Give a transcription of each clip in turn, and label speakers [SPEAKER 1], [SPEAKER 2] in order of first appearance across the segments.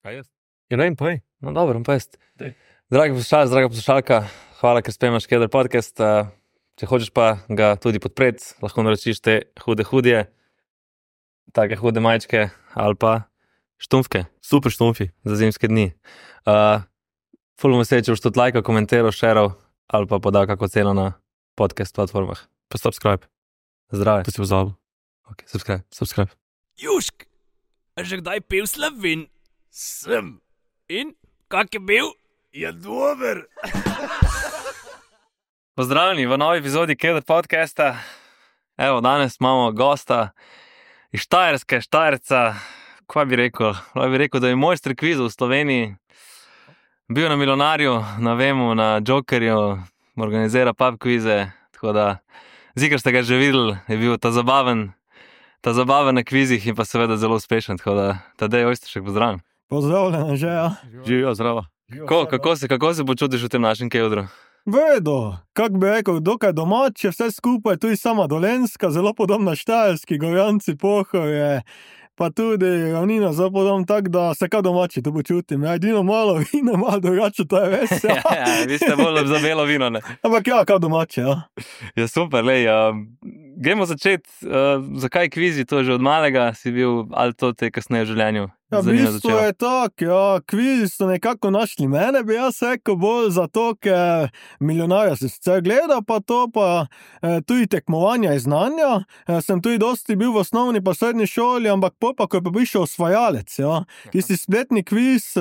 [SPEAKER 1] Kaj jaz?
[SPEAKER 2] Ja, ne vem, povej.
[SPEAKER 1] No, dobro, pa jaz.
[SPEAKER 2] Daj.
[SPEAKER 1] Dragi poslušalec, draga poslušalka, hvala, ker spremljaš Keder podcast. Če hočeš pa ga tudi podpreti, lahko naročiš te hude, take hude majčke ali pa štumfke.
[SPEAKER 2] Super štumfi.
[SPEAKER 1] Za zimske dni. Ful bom vesel, če boš tudi lajkal, komentiral, šeral ali pa podal kako ceno na podcast platformah.
[SPEAKER 2] Pa subscribe.
[SPEAKER 1] Zdrave.
[SPEAKER 2] To si pozabil.
[SPEAKER 1] Ok, subscribe.
[SPEAKER 3] Južk, a že kdaj pil Slovin? Sem. In, kak je bil? Je dober.
[SPEAKER 1] Pozdravljeni v novi epizodi Keder podcasta. Evo, danes imamo gosta iz Štajerske, Štajerca. Kaj bi rekel? Kaj bi rekel, da je mojster kvizov v Sloveniji. Bil na Milionarju, na Vemu, na Jokerju, organizira pub kvize, tako da zikar ste ga že videli, je bil ta zabaven na kvizih in pa seveda zelo uspešen, tako da Tadej Ojsteršek, pozdravljen.
[SPEAKER 4] Pozdravljena že, ja.
[SPEAKER 2] Živijo, zdravo.
[SPEAKER 1] Kako se počutiš v tem našem kedru?
[SPEAKER 4] Vedo, kak bi rekel, dokaj domače, vse skupaj, tudi sama Dolenjska, zelo podobna Štajerski, Gorjanci, Pohorje, pa tudi ravnina zelo podobna, tako da se kaj domače tu počutim. Ja, edino malo vino, malo drugače, to je res, ja.
[SPEAKER 1] Vi ste bolj za belo vino, ne?
[SPEAKER 4] Ampak ja, kaj domače, ja.
[SPEAKER 1] Ja, super, lej, gremo začeti, zakaj kvizi, to že od malega si bil, ali to te kasneje v življenju?
[SPEAKER 4] Ja, v bistvu je tako, ja, kvizi so nekako našli mene, bi jaz rekel, bolj zato, ker Milijonarja sem sicer gledal, pa to pa tudi tekmovanja iz znanja. Sem tudi dosti bil v osnovni pa srednji šoli, ampak pol pa, ko je pa prišel Osvajalec, ja. Tisti spletni kviz,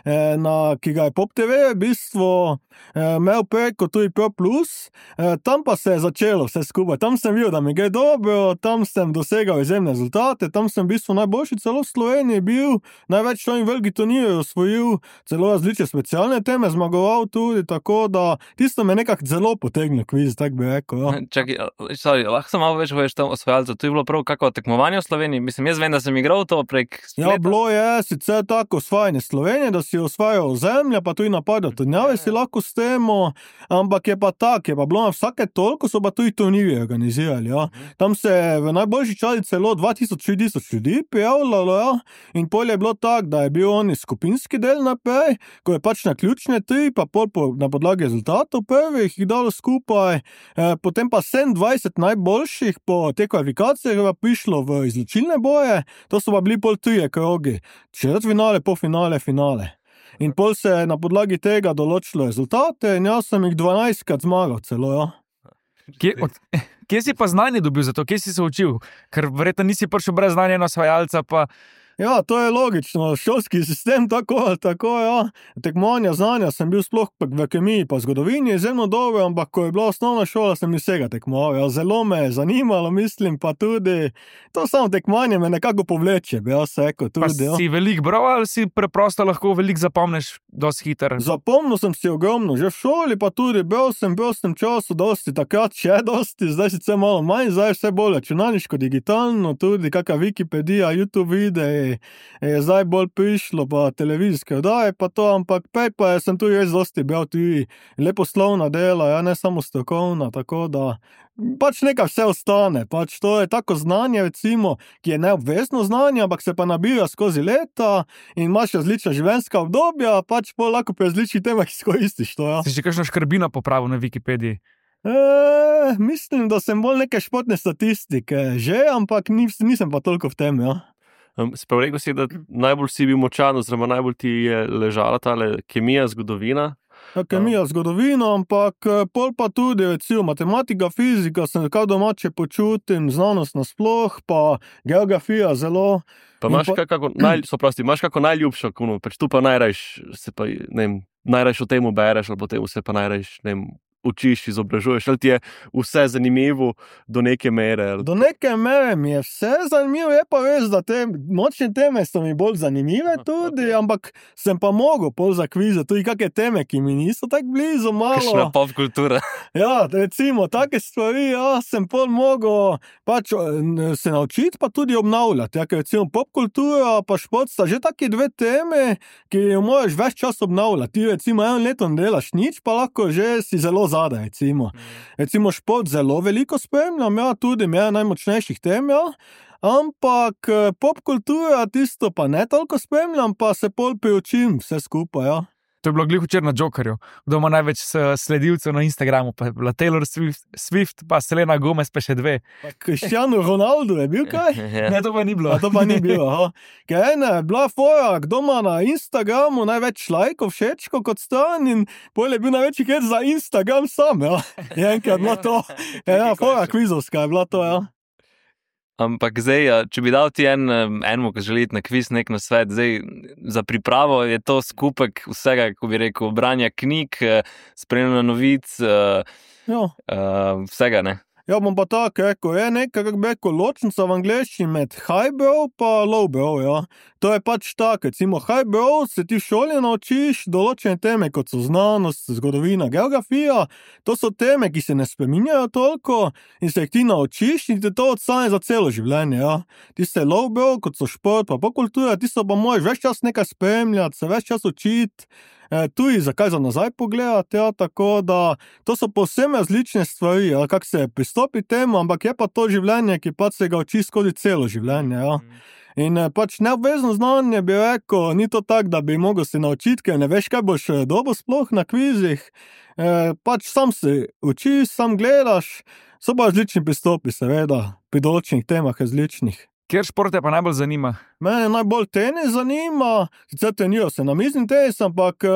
[SPEAKER 4] ki ga je Pop TV v bistvu imel preko tudi Pro Plus, tam pa se je začelo vse skupaj. Tam sem videl, da mi gre dobro, tam sem dosegal izjemne rezultate, tam sem v bistvu najboljši celo v Sloveniji bil, največ člani velikih turnirjev osvojil, celo različne specialne teme zmagoval tudi, tako da tisto me nekako zelo potegnil kviz, tako bi rekel, ja.
[SPEAKER 1] Čakaj, lahko sem malo več poveš tam Osvajalcu, to je bilo prav kako tekmovanje v Sloveniji? Mislim, jaz vem, da sem igral to prek spleta.
[SPEAKER 4] Ja, bilo je sicer tako osvajanje Slovenije, da si osvajal zemlja, pa tudi napadal turnjave si lahko s temo, ampak je pa tak, je pa bilo na vsake toliko, so pa tudi turnirje organizirali, ja. Tam se v najboljši časi celo 2000-3000 ljudi prijavljalo, ja. In pol je bilo tako, da je bil oni skupinski del naprej, ko je pač na ključne tri, pa pol na podlagi rezultatov prvih jih dalo skupaj, potem pa 27 najboljših po te kvalifikacije je prišlo v izločilne boje, to so pa bili pol trije krogi, četrtfinale, polfinale, finale. In pol se je na podlagi tega določilo rezultate in jaz sem jih 12krat zmagal celo, ja.
[SPEAKER 3] Kje si pa znanje dobil za to? Kje si se učil? Ker verjetno nisi prišel brez znanja na Osvajalca, pa...
[SPEAKER 4] Ja, to je logično, šolski sistem tako, ja. Tekmovanja znanja sem bil sploh v kemiji pa zgodovini izjemno dobro, ampak ko je bila osnovna šola, sem vsega tekmoval. Ja, zelo me je zanimalo, mislim, pa tudi to samo tekmovanje me nekako povleče, bi jaz rekel tudi.
[SPEAKER 3] Pa si veliko bral ali si preprosto lahko veliko zapomniš dosti hiter?
[SPEAKER 4] Zapomnil sem si ogromno, že v šoli pa tudi bral sem v prostem času dosti, takrat še dosti, zdaj sicer malo manj, zdaj vse bolj računalniško, digitalno, tudi kakšna Wikipedija, YouTube videi, je zdaj bolj prišlo, pa televizijske oddaje, pa to, ampak pej pa sem tudi res dosti bral tudi leposlovna dela, ja, ne samo strokovna, tako da pač nekaj vse ostane, pač to je tako znanje, recimo, ki je neobvezno znanje, ampak se pa nabira skozi leta in imaš različna življenjska obdobja, pač pol lahko pri različnih temah izkoristiš to, ja.
[SPEAKER 3] Si še kakšno škrbino popravil na Wikipediji?
[SPEAKER 4] Mislim, da sem bolj neke športne statistike že, ampak nisem pa toliko v tem, ja.
[SPEAKER 2] Si prav rekel si, da najbolj si bil močan, oziroma najbolj ti je ležala tale kemija, zgodovina?
[SPEAKER 4] Ja, kemija, zgodovina, ampak pol pa tudi, recimo, matematika, fizika, sem kaj domače počutim, znanost nasploh, pa geografija zelo.
[SPEAKER 2] Pa imaš kako najljubšo, pač tu pa najrajš se pa, ne vem, najrajš o temu bereš, ali po temu se pa najrajš, ne vem, učiš, izobražuješ, ali ti je vse zanimivo do neke mere?
[SPEAKER 4] Do neke mere mi je vse zanimivo, je pa res, da te močne teme so mi bolj zanimive tudi, ampak sem pa mogel pol za kvize, tudi kakšne teme, ki mi niso tako blizu, malo.
[SPEAKER 1] Kakšna pop kultura.
[SPEAKER 4] Ja, recimo, take stvari, ja, sem pol mogel pač se naučiti, pa tudi obnavljati, ja, ker recimo pop kultura pa šport sta že taki dve teme, ki jo moraš več čas obnavljati. Ti recimo eno leto ne delaš nič, pa lahko že si zelo zadaj, recimo. Recimo šport zelo veliko spremljam, ja, tudi me najmočnejših tem, ja, ampak popkultura tisto pa ne toliko spremljam, pa se pol priučim vse skupaj, ja.
[SPEAKER 5] To je bilo glih včeraj na Jokerju, kdo ima največ sledilcev na Instagramu, pa je bila Taylor Swift, pa Selena Gomez, pa še 2.
[SPEAKER 4] Pa Cristiano Ronaldo je bil kaj?
[SPEAKER 5] Ne, to pa ni bilo.
[SPEAKER 4] A to pa ni bilo, aha. Ker ena je bila fora, kdo ima na Instagramu največ lajkov, všečko kot stran in pol je bil največji hec za Instagram sam, ja. Je enkrat bila to, ena fora kvizovska je bila to, ja.
[SPEAKER 1] Ampak zdaj, če bi dal ti enemu, ki želi na kviz nek nasvet, zdaj za pripravo je to skupek vsega, ko bi rekel, branja knjig, spremljanja novic, vsega, ne?
[SPEAKER 4] Ja, bom pa tako rekel, je nekaj, kako bi rekel, ločnica v angleščini med highbrow pa lowbrow, ja. To je pač tako, recimo highbrow se ti v šoli naučiš določene teme, kot so znanost, zgodovina, geografija, to so teme, ki se ne spreminjajo toliko in se jih ti naučiš in te to odstane za celo življenje, ja. Tiste lowbrow, kot so šport pa popkultura, tisto pa moraš več čas nekaj spremljati, se več čas učiti, tudi zakaj za nazaj pogledati, ja, tako da to so povsem različne stvari, ja, kako se pristopi temu, ampak je pa to življenje, ki pač se ga uči skozi celo življenje, ja. In pač neobvezno znanje bi rekel, ni to tako, da bi mogel se naučiti, ker ne veš, kaj boš dobil sploh na kvizih, pač sam se učiš, sam gledaš, so pa različni pristopi, seveda, pri določenih temah različnih.
[SPEAKER 5] Kjer šport te pa najbolj zanima?
[SPEAKER 4] Mene najbolj tenis zanima, sicer treniral sem namizni tenis, ampak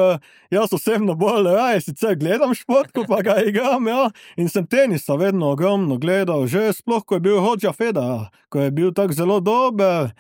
[SPEAKER 4] jaz osebno bolj raje sicer gledam šport, ko pa ga igram, ja. In sem tenisa vedno ogromno gledal, že sploh, ko je bil Roger Federer, ko je bil tako zelo dober,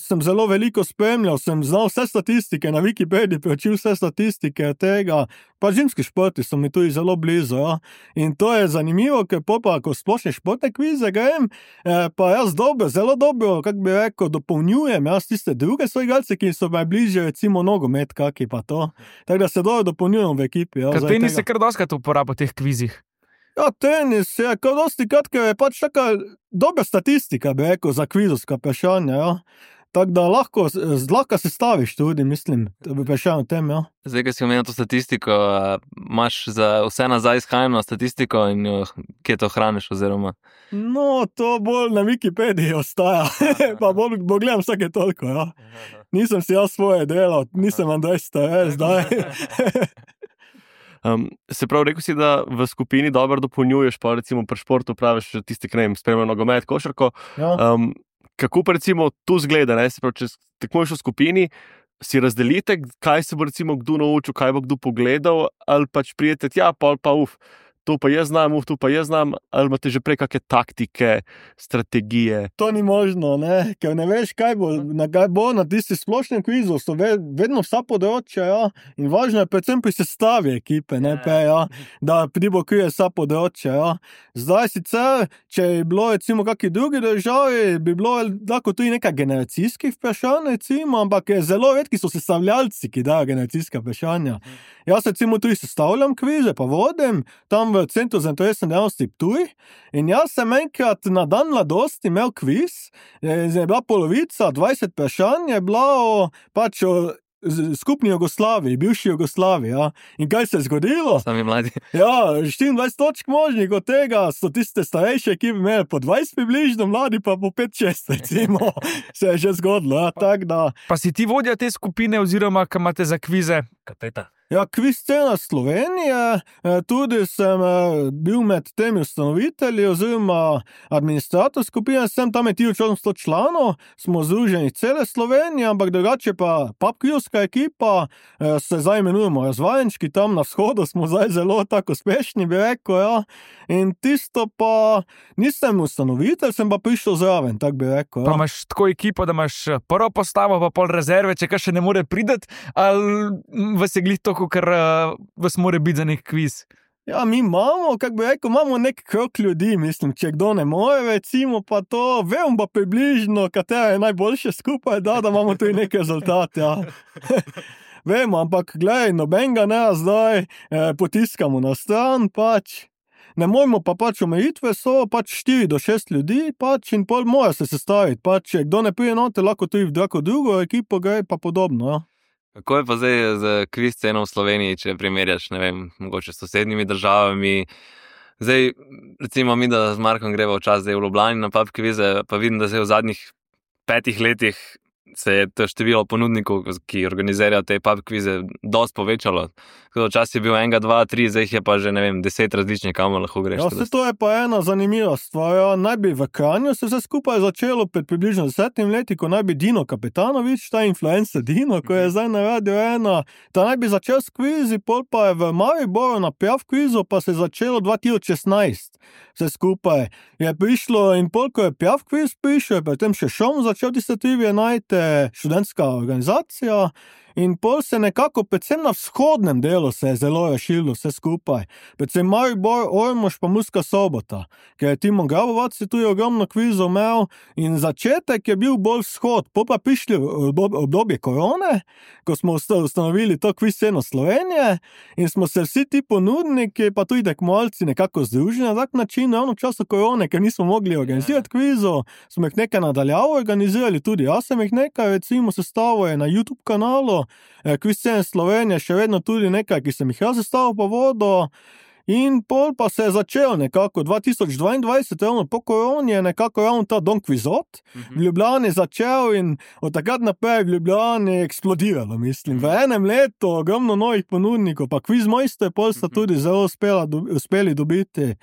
[SPEAKER 4] sem zelo veliko spremljal, sem znal vse statistike, na Wikipediji preučil vse statistike tega, pa zimski športi so mi tudi zelo blizu, ja. In to je zanimivo, ker pa, ko splošne športne kvize grem, pa jaz zelo dobro, kako bi rekel, dopolnjujem jaz tiste druge soigralce, ki so najbližje, recimo nogomet, kaki pa to. Tako da se dobro dopolnjujem v ekipi, ja.
[SPEAKER 5] Ker tenis se kar doskrat uporaba v teh kvizih.
[SPEAKER 4] Ja, tenis je kar dosti krat, ker je pač taka dobra statistika, bi rekel, za kvizovska vprašanja, ja. Tako da lahko sestaviš tudi, mislim, vprašanje o tem, ja.
[SPEAKER 1] Zdaj, ko si omenil to statistiko, imaš za vse nazaj izhajeno statistiko in kje to hraniš oziroma?
[SPEAKER 4] No, to bolj na Wikipediji ostaja, pa bolj gledam vsake toliko, ja. Nisem si jaz svoje delal, nisem Andrej Stare zdaj.
[SPEAKER 2] Se pravi, rekel si, da v skupini dobro dopolnjuješ, pa recimo pri športu praviš tisti, ki ne vem, spremljajo nogomet, košarko.
[SPEAKER 4] Ja.
[SPEAKER 2] Kako pa recimo tu zgleda, ne? Se pravi, če tekmuješ v skupini, si razdelite, kaj se bo recimo kdo naučil, kaj bo kdo pogledal, ali pač prijete, ja, pa to pa jaz znam, tu pa jaz znam, ali imate že prej kakšne taktike, strategije?
[SPEAKER 4] To ni možno, ne, ker ne veš, kaj bo na tisti splošnem kvizu, so vedno vsa področja, ja, in važno je predvsem pri sestavi ekipe, ne, ja, da pribokrije vsa področja, ja. Zdaj sicer, če je bilo recimo kakšni drugi državi, bi bilo lahko tudi nekaj generacijskih vprašanj, recimo, ampak zelo redki so sestavljalci, ki dajo generacijska vprašanja. Jaz recimo tudi sestavljam kvize, pa vodim tam v Centru za interesne dejavnosti Ptuj in jaz sem enkrat na dan mladosti imel kviz, je bila polovica, 20 vprašanj, je bila o skupni Jugoslaviji, bivši Jugoslaviji, ja. In kaj se je zgodilo?
[SPEAKER 1] Sami mladi.
[SPEAKER 4] Ja, 24 točk možnih, od tega so tiste starejše ekipe imeli po 20 približno, mladi pa po 5-6, recimo. Se je že zgodilo, ja, tak da.
[SPEAKER 5] Pa si ti vodja te skupine oziroma, kaj imate za kvize?
[SPEAKER 1] Kapeta.
[SPEAKER 4] Ja, kviz scena Slovenije, tudi sem bil med temi ustanovitelji oziroma administrator skupine, sem tam je 1800 članov, smo združeni cele Slovenije, ampak drugače pa papkrijovska ekipa, se zdaj imenujemo Razvajenčki, tam na vzhodu smo zdaj zelo tako uspešni, bi rekel, ja. In tisto pa nisem ustanovitelj, sem pa prišel zraven, tak bi rekel, ja.
[SPEAKER 5] Pa imaš tako ekipo, da imaš prvo postavo, pa pol rezerve, če kaj še ne more prideti, ali vas je glih to, ker vas more biti za nek kviz?
[SPEAKER 4] Ja, mi imamo, kako bi rekel, imamo nek krog ljudi, mislim, če kdo ne more, recimo pa to, vem pa približno, katera je najboljše skupaj, da imamo tudi nek rezultat, ja. Vemo, ampak glej, nobenega ne zdaj potiskamo na stran, pač. Ne moremo pa pač omejitve so, pač 4 do 6 ljudi, pač in pol mora se sestaviti, pač če kdo ne prije note, lahko tudi v drugo ekipo gre pa podobno, ja.
[SPEAKER 1] Kako je pa zdaj z kviz sceno v Sloveniji, če primerjaš, ne vem, mogoče s sosednjimi državami, Zdaj, recimo mi, da z Markom greva včasih v Ljubljani na pub kvize, pa vidim, da se je v zadnjih 5 letih se je to število ponudnikov, ki organizirajo te pub kvize, dosti povečalo. Tako da včasih je bil 1, 2, 3, zdaj jih je pa že, 10 različnih, kamor lahko greš.
[SPEAKER 4] Ja, to je pa ena zanimiva stvar. Ja. Naj bi v Kranju se vse skupaj začelo pred približno 10 leti, ko naj bi Dino Kapetanovič, ta influencer Dino, ko je zdaj na Radio 1, ta naj bi začel s kvizi, pol pa je v Mariboru na Piaf kvizu, pa se je začelo 2016. Vse skupaj je prišlo in pol, ko je Piaf kviz prišel, je potem še Šom začel tiste trivije najti, študentska organizacija. In pol se nekako, predvsem na vzhodnem delu se je zelo razširilo vse skupaj. Predvsem Maribor, Ormož pa Murska Sobota, ker je Timon Grabovac tu je ogromno kvizov imel in začetek je bil bolj vzhod. Pol pa prišli obdobje korone, ko smo ustanovili to kviz sceno Slovenije in smo se vsi ti ponudniki, pa tudi tekmovalci nekako združili na tak način, ravno v času korone, ker nismo mogli organizirati kvizov, smo jih nekaj nadaljavo organizirali, tudi jaz sem jih nekaj, recimo sestavo je na YouTube kanalu, Kviz scene Slovenije, še vedno tudi nekaj, ki sem jih jaz sestavil po vodo. In pol pa se je začel nekako 2022, ravno po koroni je nekako ravno ta Don Kvizot v Ljubljani začel in od takrat naprej v Ljubljani eksplodiralo, mislim. V enem letu ogromno novih ponudnikov, pa Kviz Mojster pol sta tudi zelo uspeli dobiti.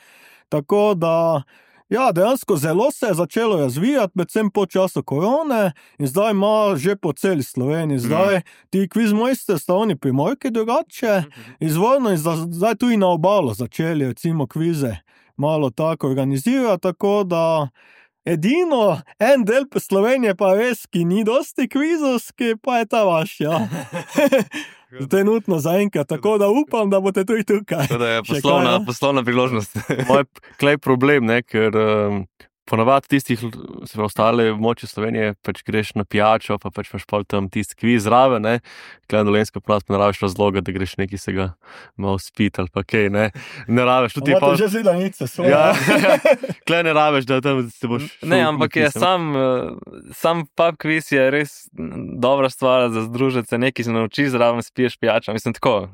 [SPEAKER 4] Tako da ja, dejansko zelo se je začelo razvijati, predvsem po času korone in zdaj ima že po celi Sloveniji. Zdaj ti Kviz Mojster sta oni Primorke drugače, izvorno in zdaj tudi na obalo začeli recimo kvize malo tako organizirati, tako da edino en del Slovenije pa res, ki ni dosti kvizovski, pa je ta vaš, ja. Trenutno zaenkrat, tako da upam, da boste tudi tukaj.
[SPEAKER 1] To je poslovna priložnost.
[SPEAKER 2] Moj klej problem, ne, ker ponavadi tistih, se pravi, ostale območje Slovenije, pač greš na pijačo, pa pač imaš pol tam tisti kviz zraven, ne, klej na Dolenjsko pa ne rabiš razloga, da greš neki se ga malo spit ali pa kaj, ne rabiš.
[SPEAKER 4] Imate že zidanice svoje.
[SPEAKER 2] Ja, klej ne rabiš, da tam se boš...
[SPEAKER 1] Ne, ampak je sam pub kviz je res dobra stvar za združiti se, nekaj se naučiš, zraven spiješ pijačo, mislim tako.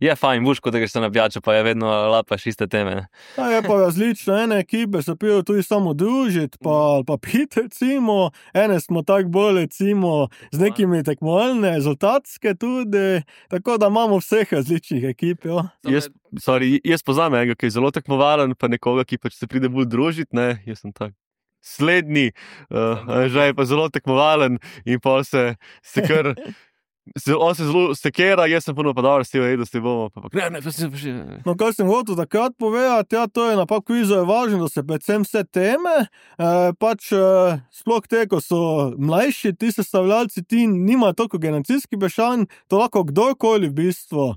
[SPEAKER 1] Je fajn, buško, da greš se na pijačo, pa je vedno lapaš iste teme.
[SPEAKER 4] Ja, je pa različno, ene ekipe se pijo tudi samo družiti, pa piti, recimo, ene smo tako bolj, recimo, z nekimi tekmovalne, rezultatske tudi, tako da imamo vseh različnih ekip, jo.
[SPEAKER 2] Jaz poznam enega, ki je zelo tekmovalen, pa nekoga, ki pač se pride bolj družiti, ne, jaz sem tak slednji, že je pa zelo tekmovalen in pa se kar... On se zelo sekera, jaz sem ponovno pa dobro, s te bomo, pa ne,
[SPEAKER 4] No, kaj sem hotel takrat povedati, ja, to je na pub kvizu je važno, da se predvsem vse teme, sploh te, ko so mlajši, ti sestavljalci, ti nimajo toliko generacijskih vprašanj, to lahko kdorkoli v bistvu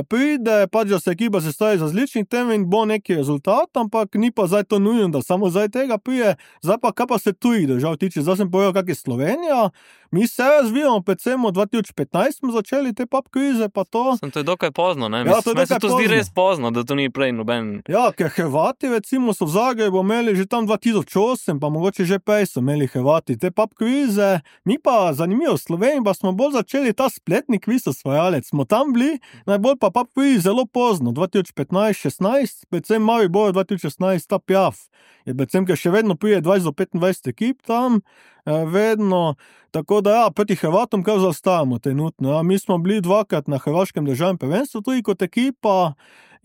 [SPEAKER 4] pride, pač da se ekipa sestavi z različnih tem in bo neki rezultat, ampak ni pa zdaj to nujno, da samo zdaj tega prije, zdaj pa kaj pa se tujih držav tiče, zdaj sem povedal, kak je Slovenija, mi se razvijamo, predvsem od 2015 smo začeli te pub kvize, pa to.
[SPEAKER 1] To je dokaj pozno, ne?
[SPEAKER 4] Ja,
[SPEAKER 1] Meni se to zdi res pozno, da to ni prej noben.
[SPEAKER 4] Ja, ker Hrvati recimo so v Zagrebu imeli že tam 2008, pa mogoče že prej so imeli Hrvati te pub kvize, mi pa zanimivo v Sloveniji, pa smo bolj začeli ta spletni kviz osvajalec, smo tam bili, najbolj pa pub kviz zelo pozno, 2015-16, predvsem Maribor 2016, ta Piaf, je predvsem, ker še vedno prije 20 do 25 ekip tam, vedno, tako da ja, proti Hrvatom kar zaostajamo trenutno. Ja. Mi smo bili 2-krat na hrvaškem državnem prvenstvu tudi kot ekipa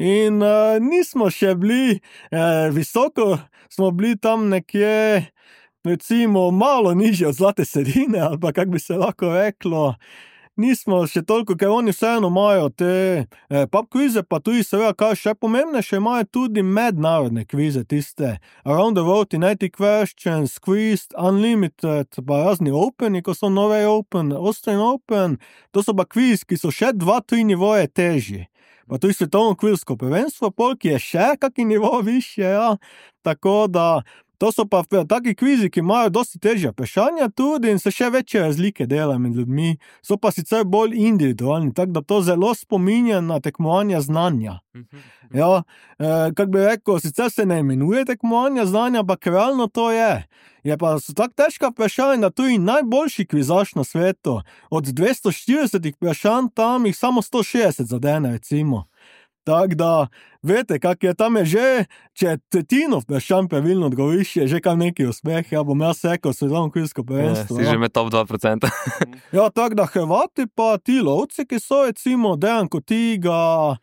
[SPEAKER 4] in nismo še bili visoko, smo bili tam nekje, recimo, malo nižje od zlate sredine, ali pa kak bi se lahko reklo. Nismo še toliko, ker oni vseeno imajo te pub kvize, pa tudi seveda, kaj še pomembnejše, imajo tudi mednarodne kvize, tiste Around the World, 90 Questions, Quiz, Unlimited, pa razni Openi, ko so Norway Open, Austrian Open, to so pa kviz, ki so še 2-3 nivoje težji. Pa tudi svetovno kvizsko prvenstvo, ki je še kaki nivo višje, ja, tako da to so pa taki kvizi, ki imajo dosti težja vprašanja tudi in se še večje razlike delajo med ljudmi. So pa sicer bolj individualni, tako da to zelo spominja na tekmovanja znanja. Ja, kak bi rekel, sicer se ne imenuje tekmovanja znanja, ampak realno to je. Je pa so tako težka vprašanja, da tudi najboljši kvizaš na svetu, od 240 vprašanj tam jih samo 160 zadene, recimo. Tako da veste, kak je tam je že, če tretjino vprašanj pravilno odgovoriš, je že kar neki uspeh, ja bom jaz rekel svetovno kvilsko prvenstvo.
[SPEAKER 1] Si že med top 2%.
[SPEAKER 4] Ja, tako da Hrvati pa ti lovci, ki so recimo Dejan Kotiga,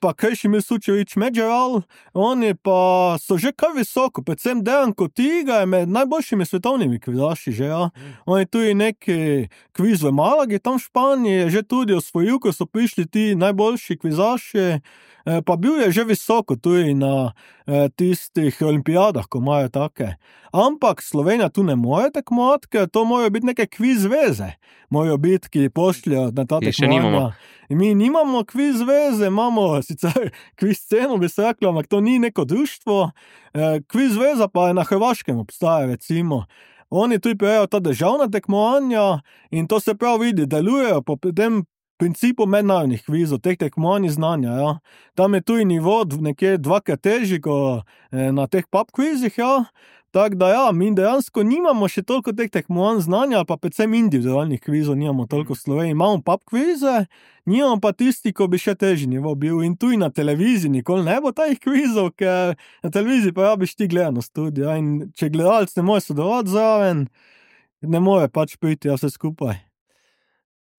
[SPEAKER 4] pa Krešimir Sučević Međeral, oni pa so že kar visoko, predvsem Dejan Kotiga je med najboljšimi svetovnimi kvizaši že, ja. Oni tudi neki kviz v Malagi, tam v Španiji je že tudi osvojil, ko so prišli ti najboljši kvizaši, pa bil je že visoko tudi na tistih olimpijadah, ko imajo take. Ampak Slovenija tu ne more tekmovati, ker to morajo biti neke kviz veze, morajo biti, ki pošljajo na ta tekmovanja. Mi nimamo kviz veze, imamo sicer kviz sceno, bi se reklo, ampak to ni neko društvo. Kviz veza pa je na Hrvaškem obstaja, recimo. Oni tudi prijejo ta državna tekmovanja in to se prav vidi, delujejo po tem principu mednarodnih kvizov, teh tekmovanj znanja, ja. Tam je tudi nivo nekje dvakrat težji, kot na teh pub kvizih, ja. Tako da ja, mi dejansko nimamo še toliko teh tekmovanj znanja, pa predvsem individualnih kvizov nimamo toliko v Sloveniji. Imamo pub kvize, nimamo pa tisti, ko bi še težji nivo bil. In tudi na televiziji nikoli ne bo tajih kvizov, ker na televiziji pa rabiš ti gledano studio. In če gledalec ne more sodelovati zraven, ne more pač priti vse skupaj.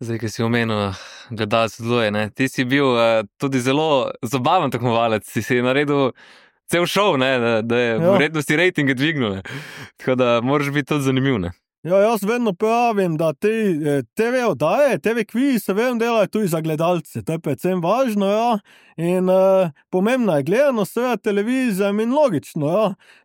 [SPEAKER 1] Zdaj, ki si omenil, gledalec sodeluje, ne? Ti si bil tudi zelo zabaven tekmovalec, si naredil cel šov, ne? Da je vredno si rejtinge dvignil, ne? Tako da moraš biti tudi zanimiv, ne?
[SPEAKER 4] Ja, jaz vedno pravim, da te TV oddaje, TV kvizi se vedno delajo tudi za gledalce, to je predvsem važno, ja. In pomembna je gledanost, seveda televizija in logično, ja.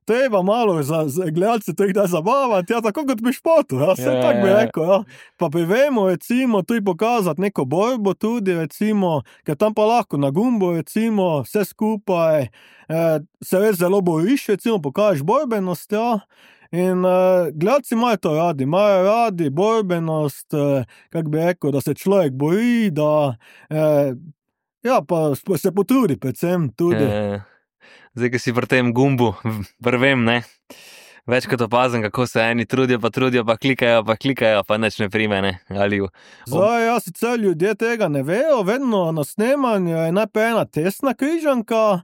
[SPEAKER 4] Treba malo za gledalce to jih da zabavati, ja, tako kot pri športu, ja, vse tako bi rekel, ja. Pa privemo, recimo, tudi pokazati neko borbo tudi, recimo, ker tam pa lahko na gumbu, recimo, vse skupaj, se res zelo boriš, recimo, pokažeš borbenost, ja. In gledalci imajo radi borbenost, kako bi rekel, da se človek bori, da ja, pa se potrudi predvsem tudi.
[SPEAKER 1] Zdaj, ki si pri tem gumbu, vrvem, ne? Večkrat opazim, kako se eni trudijo, pa klikajo, pa nič ne prime, ne?
[SPEAKER 4] Zdaj, ja, sicer ljudje tega ne vejo, vedno na snemanju je najprej ena testna križanka,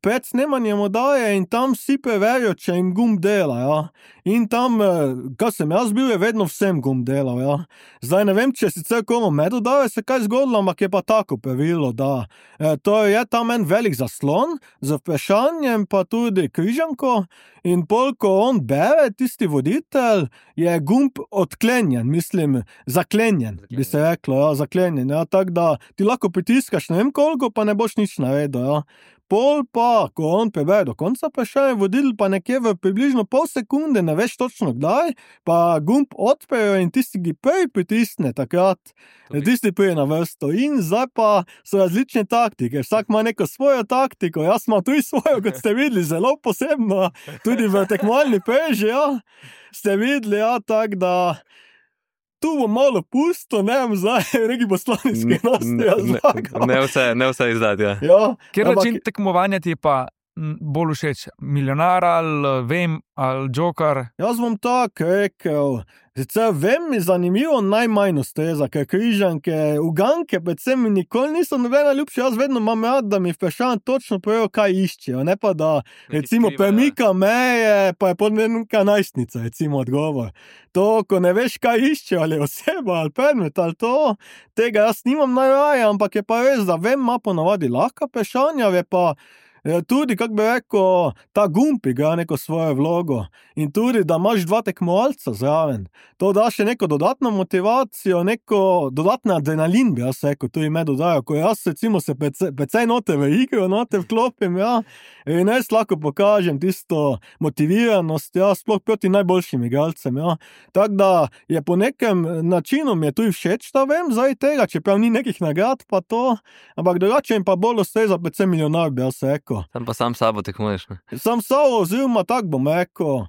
[SPEAKER 4] pred snemanjem oddaje in tam vsi preverijo, če jim gumb dela, ja. In tam, kar sem jaz bil, je vedno vsem gumb delal, ja. Zdaj ne vem, če sicer komu med oddaje se kaj zgodilo, ampak je pa tako pravilo, da to je tam en velik zaslon z vprašanjem, pa tudi križanko in ko on bere, tisti voditelj, je gumb odklenjen, mislim, zaklenjen, bi se reklo, ja, zaklenjen, ja, tako da ti lahko pritiskaš ne vem koliko, pa ne boš nič naredil, ja. Pol pa, ko on prebere do konca vprašanja, voditelj pa nekje v približno pol sekunde, ne veš točno kdaj, pa gumb odprejo in tisti gi prej pritisne takrat, tisti prije na vrsto. In zdaj pa so različne taktike, vsak ima neko svojo taktiko, jaz imam tudi svojo, kot ste videli, zelo posebno, tudi v tekmovalni preži, ja, ste videli, ja, tako da tu bom malo pusto, ne vem zdaj, regi poslanički
[SPEAKER 1] Ne vse izdati, ja.
[SPEAKER 4] Ja.
[SPEAKER 5] Kjer način tekmovanja ti je pa bolj všeč? Milijonar ali Vem ali Joker?
[SPEAKER 4] Jaz bom tako rekel, sicer Vem mi zanimivo najmanj ustreza, ker križanke, uganke predvsem mi nikoli niso nobena ljubša, jaz vedno imam rad, da mi vprašanje točno povejo, kaj iščejo, ne pa da recimo premika meje, pa je pod neka najstnica, recimo odgovor. To, ko ne veš, kaj iščejo, ali oseba, ali predmet, ali to, tega jaz nimam najraje, ampak je pa res, da Vem ima ponavadi lahka vprašanja, je pa tudi, kako bi rekel, ta gumb igra neko svojo vlogo in tudi, da imaš dva tekmovalca zraven. To da še neko dodatno motivacijo, neko dodatni adrenalin, bi jaz rekel, tudi me dodajo, ko jaz recimo se precej note v igro, note vklopim, ja, in jaz lahko pokažem tisto motiviranost, ja, sploh proti najboljšim igralcem, ja. Tako da je po nekem načinu mi je tudi všeč, da Vem, zdaj tega, čeprav ni nekih nagrad pa to, ampak drugače jim pa bolj ustreza predvsem Milijonar, bi jaz rekel.
[SPEAKER 1] Tam pa sam sabo tekmuješ, ne?
[SPEAKER 4] Sam sabo, oziroma tako bom rekel,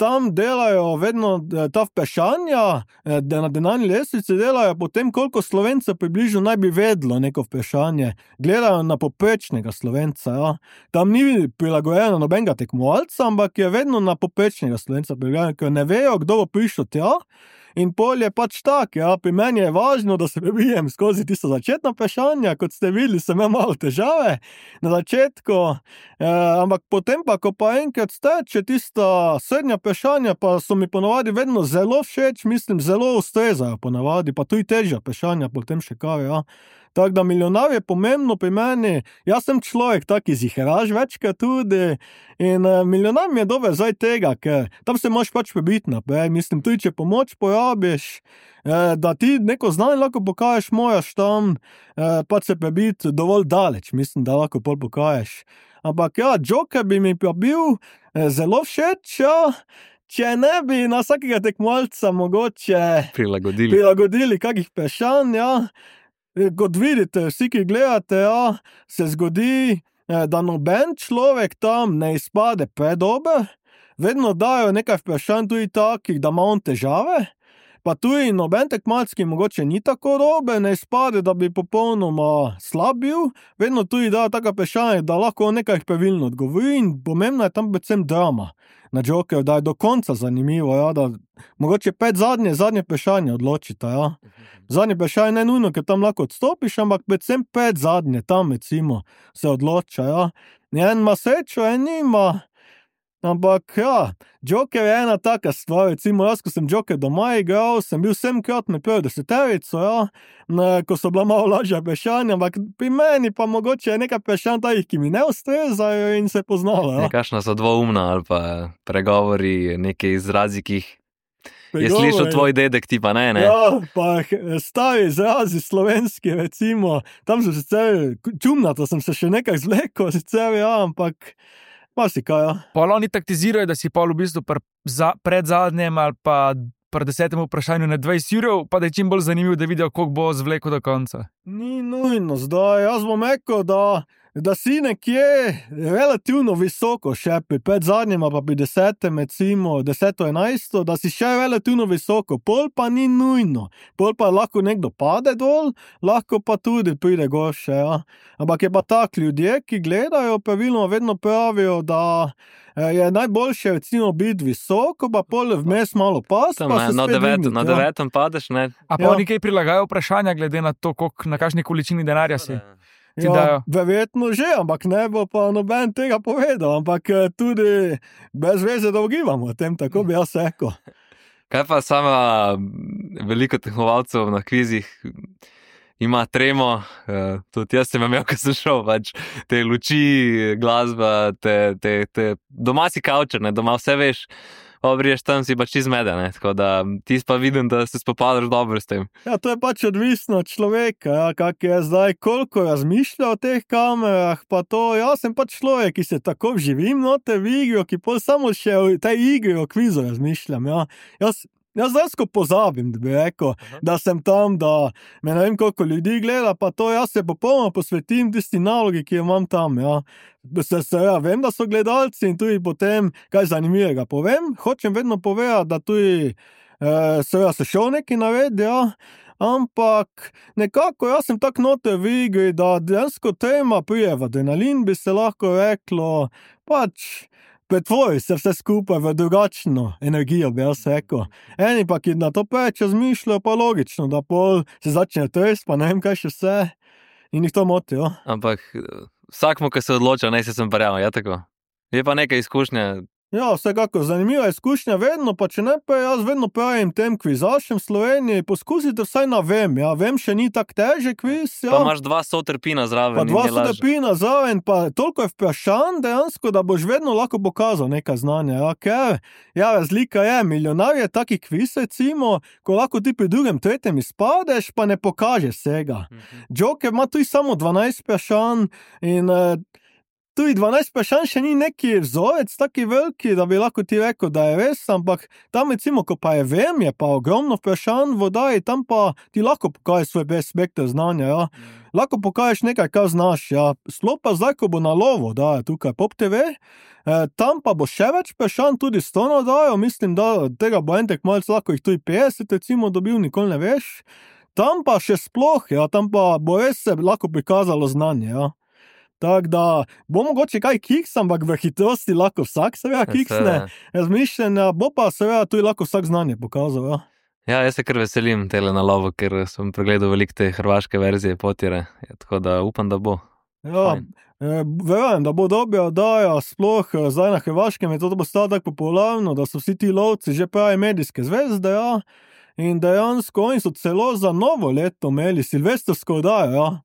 [SPEAKER 4] tam delajo vedno ta vprašanja, na denarni lestvici delajo potem, koliko Slovencev približno naj bi vedlo neko vprašanje. Gledajo na povprečnega Slovenca, ja. Tam ni prilagojeno nobenega tekmovalca, ampak je vedno na povprečnega Slovenca prilagojeno, ker ne vejo, kdo bo prišel tja. In pol je pač tak, ja, pri meni je važno, da se prebijem skozi tisto začetno vprašanje, kot ste videli, sem imel malo težave na začetku, ampak potem pa, ko pa enkrat steče tista srednja vprašanja, pa so mi ponavadi vedno zelo všeč, mislim, zelo ustrezajo ponavadi, pa tudi težja vprašanja, potem še kaj, ja. Tako da milijonar je pomembno pri meni, jaz sem človek tak izihraž večkrat tudi in milijonar mi je dober zdaj tega, ker tam se moraš pač prebiti naprej, mislim, tudi če pomoč porabiš, da ti neko znanje lahko pokažeš, moraš tam pač se prebiti dovolj daleč, mislim, da lahko pol pokažeš. Ampak ja, Joker bi mi pa bil zelo všeč, ja, če ne bi na vsakega tekmovalca mogoče prilagodili kakih vprašanj, ja. Kot vidite, vsi, ki gledate, ja, se zgodi, da noben človek tam ne izpade predober, vedno dajo nekaj vprašanj tudi takih, da ima on težave, pa tudi noben tekmovalec, ki mogoče ni tako dober, ne izpade, da bi popolnoma slab bil, vedno tudi dajo taka vprašanja, da lahko nekaj pravilno odgovori in pomembna je tam predvsem drama na Jokerju, da je do konca zanimivo, ja, da mogoče 5 zadnje vprašanje odločita, ja. Zadnje vprašanje ne nujno, ker tam lahko odstopiš, ampak predvsem 5 zadnje tam, recimo, se odloča, ja. En ima srečo, en nima, ampak ja, Joker je ena taka stvar, recimo jaz, ko sem Joker doma igral, sem bil 7-krat med prvo deseterico, ja, ko so bila malo lažja vprašanja, ampak pri meni pa mogoče je nekaj vprašanj takih, ki mi ne ustrezajo in se poznalo, ja.
[SPEAKER 1] Nekakšna so dvoumna ali pa pregovori, neki izrazi, ki jih je slišal tvoj dedek, ti pa ne?
[SPEAKER 4] Ja, pa stari izrazi slovenski, recimo, tam so sicer čumnato, sem se še nekaj zvlekel, sicer, ja, ampak marsikaj, ja.
[SPEAKER 5] Pol oni taktizirajo, da si pol v bistvu pred zadnjem ali pa pri 10. vprašanju na 20 jurov, pa da je čim bolj zanimivo, da vidijo, koliko bo zvlekel do konca.
[SPEAKER 4] Ni nujno zdaj, jaz bom rekel, da si nekje relativno visoko še pri predzadnjem, pa pri 10. recimo 10-11, da si še relativno visoko, pol pa ni nujno, pol pa lahko nekdo pade dol, lahko pa tudi pride gor še, ja. Ampak je pa tak, ljudje, ki gledajo, pravilno vedno pravijo, da je najboljše recimo biti visoko, pa pol vmes malo pas, pa se spet dvigniti.
[SPEAKER 1] Na 9. padeš, ne?
[SPEAKER 5] A pa oni kaj prilagajajo vprašanja, glede na to, na kakšni količini denarja si?
[SPEAKER 4] Ja, verjetno že, ampak ne bo pa noben tega povedal, ampak tudi brez veze, da ugibamo o tem, tako bi jaz rekel.
[SPEAKER 1] Kaj pa sama veliko tekmovalcev na kvizih ima tremo, tudi jaz sem imel, ko sem šel, pač te luči, glasba, te doma si kavčer, ne, doma vse veš, obriješ tam, si pač izmeden, ne, tako da ti pa vidim, da se spopadaš dobro s tem.
[SPEAKER 4] Ja, to je pač odvisno od človeka, ja, kak je zdaj, koliko razmišlja o teh kamerah, pa to, jaz sem pač človek, ki se tako vživim noter v igro, ki pol samo še v tej igri o kvizu razmišljam, ja. Jaz dejansko pozabim, da bi rekel, da sem tam, da me ne vem koliko ljudi gleda, pa to jaz se popolnoma posvetim tisti nalogi, ki jo imam tam, ja. Ja, vem, da so gledalci in tudi potem kaj zanimivega povem, hočem vedno povedati, da tudi se šel neki naredi, ja. Ampak nekako jaz sem tak noter v igri, da dejansko tema prije v adrenalin, bi se lahko reklo, pač pretvori se vse skupaj v drugačno energijo, bi jaz rekel. Eni pa, ki na to preveč razmišljajo, pa logično, da pol se začne trest, pa ne vem kaj še vse in jih to moti, jo.
[SPEAKER 1] Ampak vsakmo, ki se odloča, ne se sem parjal, je tako? Je pa nekaj izkušnje?
[SPEAKER 4] Ja, vsekako, zanimiva izkušnja vedno, pa če ne pa jaz vedno pravim tem kvizašem v Sloveniji, poskusite vsaj na vem, ja, vem še ni tak težek kviz, ja.
[SPEAKER 1] Pa imaš 2 sotrpina zraven.
[SPEAKER 4] Pa 2 sotrpina zraven, pa toliko je vprašanj dejansko, da boš vedno lahko pokazal nekaj znanja, ja, ker, ja, razlika je, milijonar je taki kviz, recimo, ko lahko ti pri 2., 3. izpadeš, pa ne pokažeš vsega. Joker ima tudi samo 12 vprašanj in tudi 12 vprašanj še ni neki vzorec taki veliki, da bi lahko ti rekel, da je res, ampak tam recimo, ko pa je vem, je pa ogromno vprašanj v oddaji, tam pa ti lahko pokažeš svoj spekter znanja, ja. Lahko pokažeš nekaj, kar znaš, ja. Sploh pa zdaj, ko bo na lovo, da je tukaj Pop TV, tam pa bo še več vprašanj tudi s to oddajo, mislim, da tega bo en tekmovalec lahko jih tudi 50 recimo dobil, nikoli ne veš. Tam pa še sploh, ja, tam pa bo res se lahko prikazalo znanje, ja. Tako da bo mogoče kaj kiks, ampak v hitrosti lahko vsak seveda kiksne razmišljanja, bo pa seveda tudi lahko vsak znanje pokazal, ja.
[SPEAKER 1] Ja, jaz se kar veselim tele na lovu, ker sem pregledal veliko te hrvaške verzije Potjere, tako da upam, da bo.
[SPEAKER 4] Ja,
[SPEAKER 1] Fajn.
[SPEAKER 4] verjamem, da bo dobra oddaja, sploh zdaj na Hrvaškem je to postalo tako popularno, da so vsi ti lovci že pravi medijske zvezde, ja. In dejansko oni so celo za novo leto imeli silvestrsko oddajo, ja.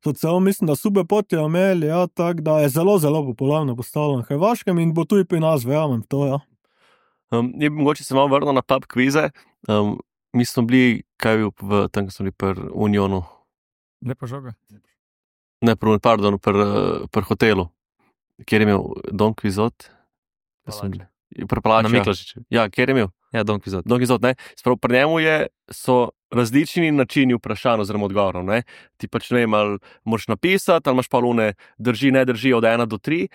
[SPEAKER 4] So celo, mislim, da Super Potjero imeli, ja, tako da je zelo, zelo popularno postalo na Hrvaškem in bo tudi pri nas, verjamem v to, ja.
[SPEAKER 2] Mogoče se malo vrnil na pub kvize. Mi smo bili, kaj je bil tam, ko smo bili pri Unionu,
[SPEAKER 5] Lepa žoga.
[SPEAKER 2] ne, pri hotelu, kjer je imel Don Quixote.
[SPEAKER 1] Na Miklošiču.
[SPEAKER 2] Ja, kjer je imel
[SPEAKER 1] Ja, Don Quixote.
[SPEAKER 2] Don Quixote, ne. Sprav, pri njemu so različni načini vprašanj oziroma odgovorov, ne. Ti pač ne vem, ali moraš napisati, ali imaš pa lune drži, ne drži od 1 do 3.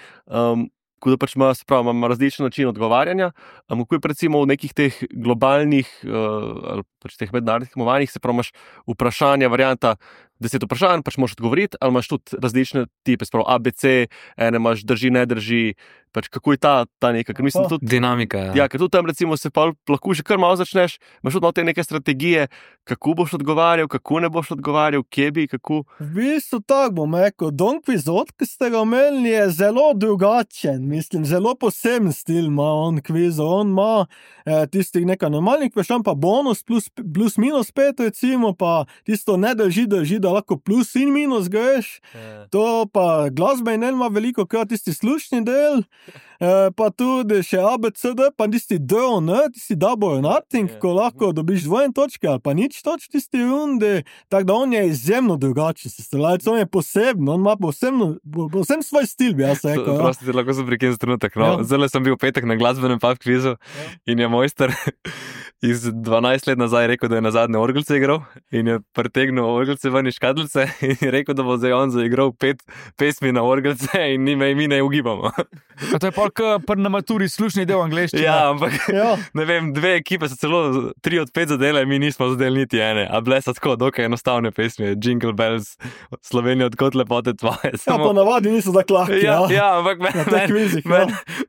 [SPEAKER 2] Tako da pač ima različen način odgovarjanja. Ko je recimo v nekih teh globalnih ali pač teh mednarodnih tekmovanjih, se pravi, imaš vprašanja, varianta 10 vprašanj, pač moraš odgovoriti, ali imaš tudi različne tipe, sprav ABC, ene imaš drži, ne drži, pač kako je ta neka, ker mislim tudi...
[SPEAKER 1] Dinamika, ja.
[SPEAKER 2] Ja, ker tudi tam recimo se pa lahko že kar malo začneš, imaš tudi malo te neke strategije, kako boš odgovarjal, kako ne boš odgovarjal, kje bi, kako...
[SPEAKER 4] V bistvu tako bom rekel, Don Quixote, ki ste ga omenili, je zelo drugačen, mislim, zelo poseben stil ima on kvizo, on ima tistih nekaj normalnih vprašanj, pa bonus plus minus 5 recimo, pa tisto ne drži, da lahko plus in minus greš, to pa glasbe in ima veliko krat tisti slušni del, pa tudi še ABCD, pa tisti DON, tisti double or nothing, ko lahko dobiš 2 točke ali pa nič točk tisti rundi, tako da on je izjemno drugačen sestrelec, on je poseben, on ima poseben svoj stil, bi jaz rekel.
[SPEAKER 1] Prosti, lahko sem prekinil trenutek. No.
[SPEAKER 4] Ja.
[SPEAKER 1] Zdaj sem bil v petek na glasbenem pub kvizu in je mojster iz 12 let nazaj rekel, da je nazadnje orgelce igral in je pretegnil orgelce ven iz škatlice in je rekel, da bo zdaj on zaigral 5 pesmi na orgelce in mi ne ugibamo.
[SPEAKER 5] A to je pol na maturi slušni del angleščine.
[SPEAKER 1] Ja, ampak
[SPEAKER 4] Ja.
[SPEAKER 1] ne vem, 2 ekipe so celo 3 od 5 zadele, mi nismo zadeli niti ene, a bile so tako dokaj enostavne pesmi, Jingle Bells, Slovenija odkot lepote tvoje.
[SPEAKER 4] Ja, ponavadi niso tako lahki,
[SPEAKER 1] Ja, ampak
[SPEAKER 4] Na teh kvizih,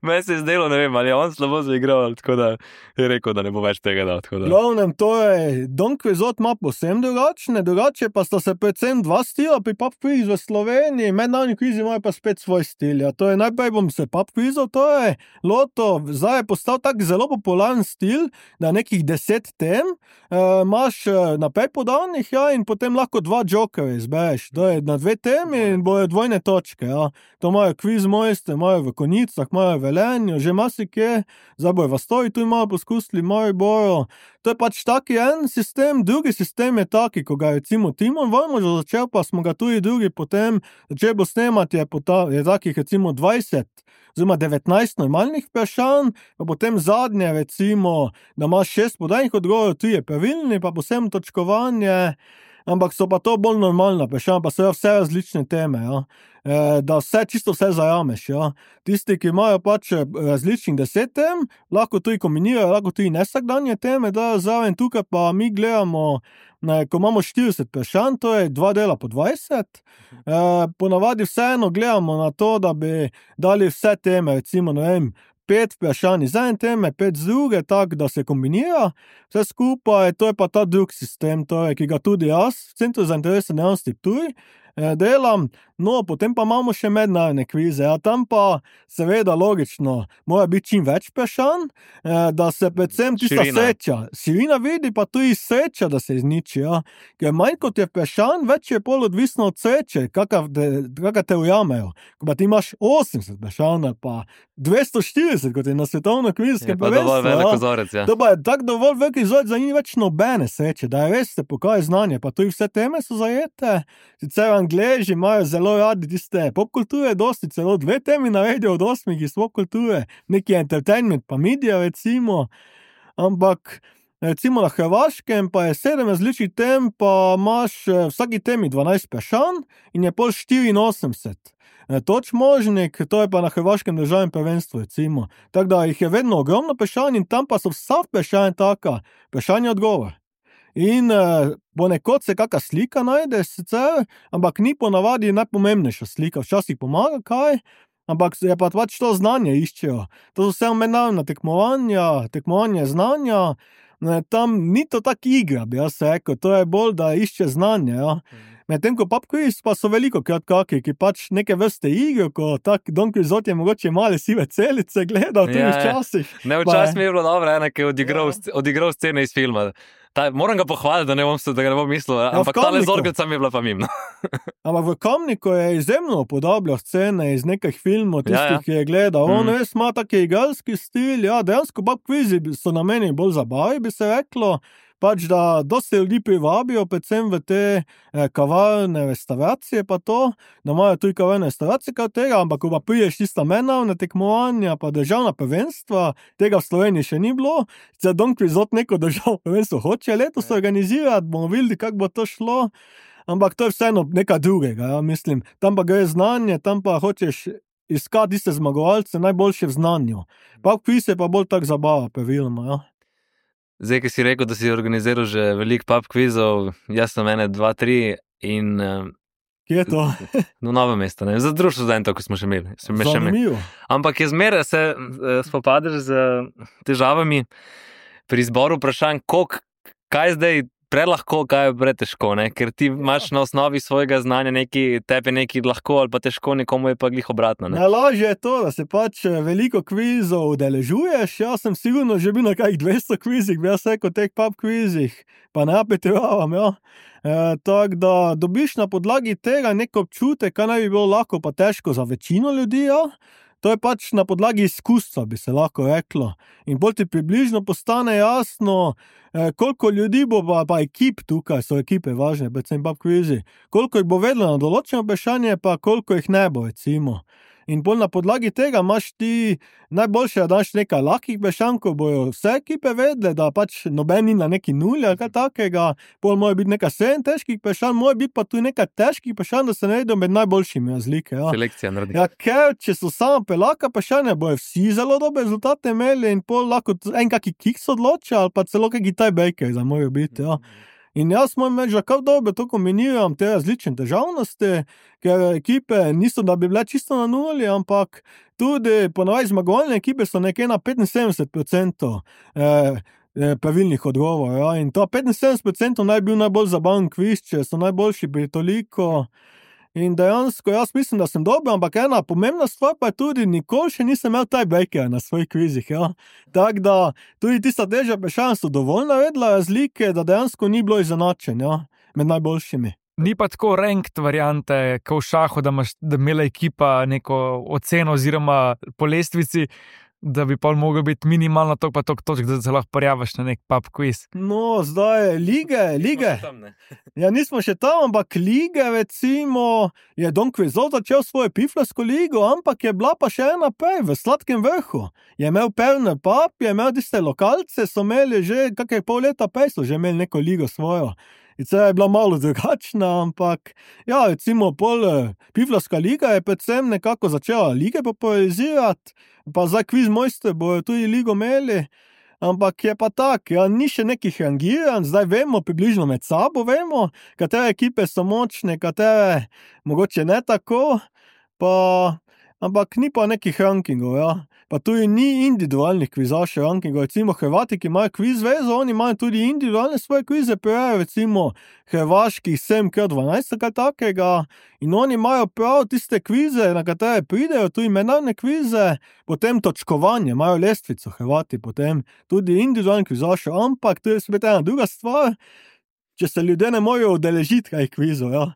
[SPEAKER 1] meni se je zdelo, ne vem, ali je on slabo zaigral, tako da je rekel, da ne bo več tega dal. Tako da.
[SPEAKER 4] Glavnem, to je, Don Quixote ima povsem drugače pa sta se predvsem dva stila pri pub kvizu v Sloveniji, mednarodni kvizi imajo pa spet svoj stil. Ja. To je, najprej bom se pub kvizov, to je loto, zdaj je postal tak zelo popularen stil, da nekih 10 tem imaš naprej podanih, ja, in potem lahko 2 jokerje izbereš. To je na 2 temi in bojo 2 točke, ja. To imajo kviz mojster, imajo v Konicah, imajo v Velenju, že marsikje, zdaj bojo v Stoji tu imajo poskusili, imajo bojo. To je pač taki en sistem, drugi sistem je taki, ko ga je recimo Timon Vrmožo začel, pa smo ga tudi drugi potem začeli bo snemati, je takih recimo 20 oziroma 19 normalnih vprašanj, pa potem zadnje recimo, da imaš 6 podajnih odgovorov, 3 pravilni, pa posebno točkovanje, ampak so pa to bolj normalna vprašanja, pa so vse različne teme, ja. Da čisto vse zajameš, ja. Tisti, ki imajo pač različnih 10 tem, lahko tudi kombinirajo, lahko tudi nesakdanje teme, da zraven tukaj pa mi gledamo, ko imamo 40 vprašanj, to je 2 dela po 20, ponavadi vseeno gledamo na to, da bi dali vse teme, recimo, ne vem, 5 vprašanj iz ene teme, 5 z druge, tako da se kombinira, vse skupaj, to je pa ta drug sistem, ki ga tudi jaz v Centru za interesne dejavnosti Ptuj delam, no, potem pa imamo še mednarodne kvize, ja, tam pa seveda logično, mora biti čim več vprašanj, da se predvsem tista širina vidi, pa tudi sreča, da se izniči, ja, ker manj kot je vprašanj, več je pol odvisno od sreče, kakor te ujamejo, ko pa ti imaš 80 vprašanj, pa 240, kot je na svetovno kvizskem prvenstvu,
[SPEAKER 1] dovolj velik kozorec, ja.
[SPEAKER 4] To pa je tak dovolj velik kozorec, da ni več nobene sreče, da je res se pokaže znanje, pa tudi vse teme so zajete, sicer Angleži imajo zelo radi tiste popkulture, dosti celo 2 temi naredijo od 8 iz popkulture, neki entertainment pa media recimo, ampak recimo na Hrvaškem pa je 7 različnih tem, pa imaš vsaki temi 12 vprašanj in je pol 84 točk možnih, to je pa na Hrvaškem državnem prvenstvu recimo, tako da jih je vedno ogromno vprašanj in tam pa so vsa vprašanja taka, vprašanje odgovor. In ponekod se kakšna slika najde sicer, ampak ni ponavadi najpomembnejša slika, včasih pomaga kaj, ampak je pa pač to znanje iščejo. To so vse mednarodna tekmovanja znanja, tam ni to tak igra, bi jaz rekel, to je bolj, da išče znanje, ja. Medtem ko pub quiz pa so veliko krat kaki, ki pač neke vrste igre, ko tak Don Quixote je mogoče male sive celice gledal tudi včasih.
[SPEAKER 1] Ne, včasih mi je bilo dobro, ki je odigral scene iz filma. Moram ga pohvaliti, da ga ne bom mislil, ampak tale zorgelca mi je bila pa mimo.
[SPEAKER 4] Ampak v Kamniku je izjemno upodobljal scene iz nekih filmov, tistih, ki je gledal. On res ima taki igralski stil, dejansko pub quizi so na meni bolj zabavi, bi se reklo, pač da dosti ljudi privabijo, predvsem v te kavarne restauracije pa to, da imajo tudi kavarne restauracije kot tega, ampak ko pa priješ tista mednarodna tekmovanja pa državna prvenstva, tega v Sloveniji še ni bilo, zdaj Don Quixote neko državno prvenstvo hoče letos organizirati, bomo videli, kako bo to šlo, ampak to je vseeno nekaj drugega, mislim, tam pa gre znanje, tam pa hočeš iskati tiste zmagovalce najboljše v znanju. Pub quiz je pa bolj tak zabava, praviloma,
[SPEAKER 1] Zdaj, ki si rekel, da si organiziral že veliko pub quizov, jaz sem 1, 2, 3 in...
[SPEAKER 4] Kje je to?
[SPEAKER 1] No, Novo mesto, ne? Za društvo študentov, ko smo še imeli.
[SPEAKER 4] Zanimivo.
[SPEAKER 1] Ampak je zmeraj se spopadeš z težavami pri izboru vprašanj, kaj zdaj prelahko, kaj je pretežko, ne? Ker ti imaš na osnovi svojega znanja tebi neki lahko ali pa težko, nekomu je pa glih obratno. Ne?
[SPEAKER 4] Najlažje je to, da se pač veliko kvizov udeležuješ. Jaz sem sigurno že bil na kakih 200 kvizih, bi jaz rekel, teh pub kvizih, pa ne apetiravam, tako da dobiš na podlagi tega nek občutek, kaj naj bi bilo lahko pa težko za večino ljudi, To je pač na podlagi izkustva, bi se lahko reklo. In bolj ti približno postane jasno, koliko ljudi bo pa ekip tukaj, so ekipe važne, predvsem pub kvizi, koliko jih bo vedelo na določeno vprašanje, pa koliko jih ne bo, recimo. In bolj na podlagi tega imaš ti najboljše, da daš nekaj lahkih vprašanj, ko bojo vse ekipe vedle, da pač noben ni na neki nuli ali kaj takega, bolj mora biti nekaj 7 težkih vprašanj, mora biti pa tudi nekaj težkih vprašanj, da se najdejo med najboljšimi razlike.
[SPEAKER 1] Selekcija naredi.
[SPEAKER 4] Ker če so samo pelaka vprašanja, bojo vsi zelo dobre rezultate imeli in pol lahko en kaki kiks odloča ali pa celo kaki tiebreaker za morajo biti, In jaz moram reči, da kar dobro to kombiniram te različne težavnosti, ker ekipe niso, da bi bile čisto na nuli, ampak tudi ponavadi zmagovalne ekipe so nekje na 75% pravilnih odgovorov. In to 75% naj bil najbolj zabaven kviz, če so najboljši pri toliko. In dejansko jaz mislim, da sem dober, ampak ena pomembna stvar pa je tudi, nikoli še nisem imel tiebreaker na svojih kvizih. Tako da tudi tista težja vprašanja so dovolj navedla razlike, da dejansko ni bilo izenačen med najboljšimi.
[SPEAKER 5] Ni pa tako ranked variante, kot v šahu, da imela ekipa neko oceno oziroma po lestvici, da bi pa mogel biti minimalno toliko pa toliko točk, da se lahko prijaviš na nek pub quiz.
[SPEAKER 4] No, zdaj lige. Nismo še tam, ampak lige, recimo, je Don Quixote začel svojo piflarsko ligo, ampak je bila pa še ena prej, v Sladkem vrhu. Je imel Perner pub, je imel tiste lokalce, so imeli že kakaj pol leta prej, so že imeli neko ligo svojo. In se je bila malo drugačna, ampak recimo piflarska liga je predvsem nekako začela lige popularizirati, pa zdaj Quiz Mojster bojo tudi ligo imeli, ampak je pa tak, ni še nekih rangiranj, zdaj vemo, približno med sabo vemo, katere ekipe so močne, katere mogoče ne tako, ampak ni pa nekih rankingov, Pa tudi ni individualnih kvizašev rankingov, recimo Hrvati, ki imajo kviz vezo, oni imajo tudi individualne svoje kvize, recimo hrvaških 7x12 kaj takega, in oni imajo prav tiste kvize, na katere pridejo, tudi mednarodne kvize, potem točkovanje, imajo lestvico Hrvati, potem tudi individualnih kvizašev, ampak to je spet ena druga stvar, če se ljudje ne morejo udeležiti kaj kvizov,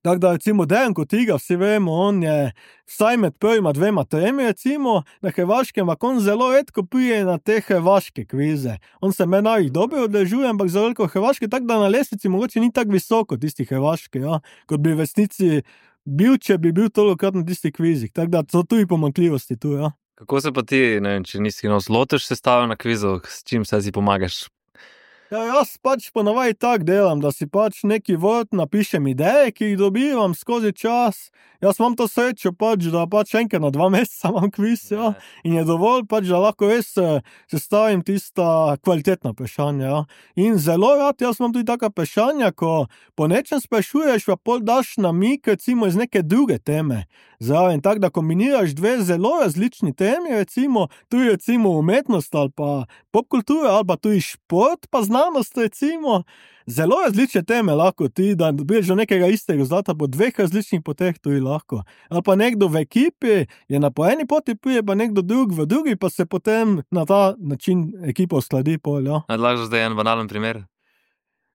[SPEAKER 4] Tako da recimo Dejan Kotiga, vsi vemo, on je vsaj med prvima 2, 3, recimo, na Hrvaškem, ampak on zelo redko prije na te hrvaške kvize. On se meni jih dobro udeležuje, ampak zelo veliko hrvaške, tako da na lestvici mogoče ni tako visoko tisti hrvaški, kot bi v resnici bil, če bi bil tolikokrat na tistih kvizih. Tako da so tudi pomanjkljivosti tu,
[SPEAKER 1] Kako se pa ti, ne vem, če nisi lotiš sestave na kvizu, s čim se si pomagaš?
[SPEAKER 4] Ja, jaz pač ponavadi tako delam, da si pač neki vrt napišem ideje, ki jih dobivam skozi čas. Jaz imam to srečo pač, da pač enkrat na 2 meseca imam kviz, ja. In je dovolj pač, da lahko res sestavim tista kvalitetna vprašanja, ja. In zelo rad, jaz imam tudi taka vprašanja, ko po nečem sprašuješ, pa pol daš namig, recimo iz neke druge teme. Zraven, tako da kombiniraš 2 zelo različni temi, recimo, tu je recimo umetnost ali pa popkultura, ali pa tu je šport, pa znanost, recimo. Zelo različne teme lahko ti, da dobiš do nekega istega rezultata po 2 različnih poteh tudi lahko. Ali pa nekdo v ekipi je na po eni poti prije, pa nekdo drug v drugi, pa se potem na ta način ekipa uskladi pol, ja.
[SPEAKER 1] Lahko zdaj en banalen primer.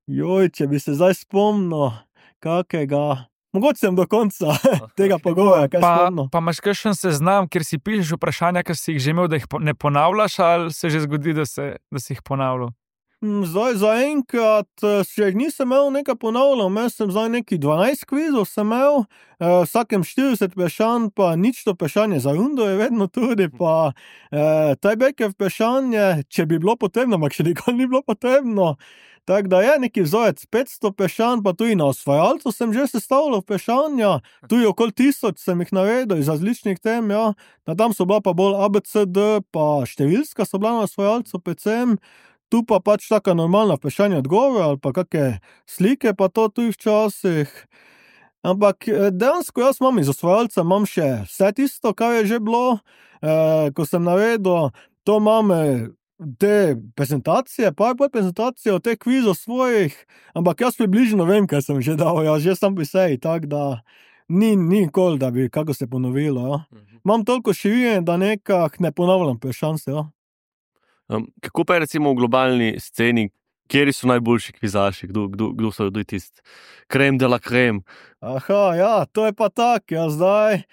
[SPEAKER 4] Joj, če bi se zdaj spomnil kakega... Mogoče sem do konca tega pogovora, kaj spomnil.
[SPEAKER 5] Pa imaš kakšen seznam, kjer si pišeš vprašanja, ki si jih že imel, da jih ne ponavljaš, ali se že zgodi, da si jih ponavljal?
[SPEAKER 4] Zdaj zaenkrat še jih nisem imel nekaj ponavljal, imel sem zdaj neki 12 kvizov sem imel, vsakem 40 vprašanj, pa nič to vprašanje za rundo je vedno tudi, pa tiebreaker vprašanje, če bi bilo potrebno, ampak še nikoli ni bilo potrebno. Tako da je neki vzorec 500 vprašanj, pa tudi na osvajalcu sem že sestavljal vprašanja, tudi okoli 1000 sem jih naredil iz različnih tem, ja. Tam so bila pa bolj ABCD, pa številska so bila na osvajalcu predvsem. Tu pa pač taka normalna vprašanja odgovor, ali pa kakšne slike, pa to tudi včasih. Ampak dejansko jaz imam iz osvajalca, imam še vse tisto, kar je že bilo, ko sem naredil, to imam te prezentacije, PowerPoint prezentacije od teh kvizov svojih, ampak jaz približno vem, kaj sem že dal, jaz že sem pri seji, tako da ni nikoli, da bi kako se ponovilo, ja. Imam toliko širine, da nekak ne ponavljam vprašanj se, ja.
[SPEAKER 2] Kako pa je recimo v globalni sceni, kjeri so najboljši kvizaši, kdo so tisti krem de la krem?
[SPEAKER 4] Aha, ja, to je pa tak, ja, zdaj.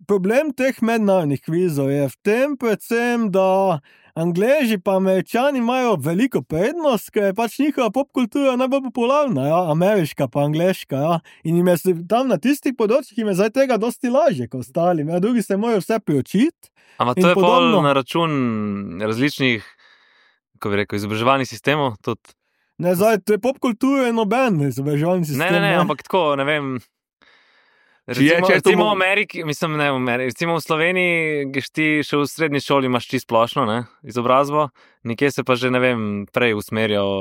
[SPEAKER 4] Problem teh mednarodnih kvizov je v tem predvsem, da Angleži pa Američani imajo veliko prednost, ker je pač njihova popkultura najbolj popularna, ja, ameriška pa angleška, ja. In jim je tam na tistih področjih jim je zdaj tega dosti lažje kot ostalim, ja, drugi se morajo vse priučiti.
[SPEAKER 1] Ampak to je pol na račun različnih, kako bi rekel, izobraževalnih sistemov tudi?
[SPEAKER 4] Ne, zdaj, to je popkultura in noben izobraževalni sistem.
[SPEAKER 1] Ne, ampak tako, ne vem. Recimo v Ameriki, mislim, ne v Ameriki, recimo v Sloveniji, greš ti še v srednji šoli, imaš čisto splošno, ne, izobrazbo, nekje se pa že, ne vem, prej usmerjajo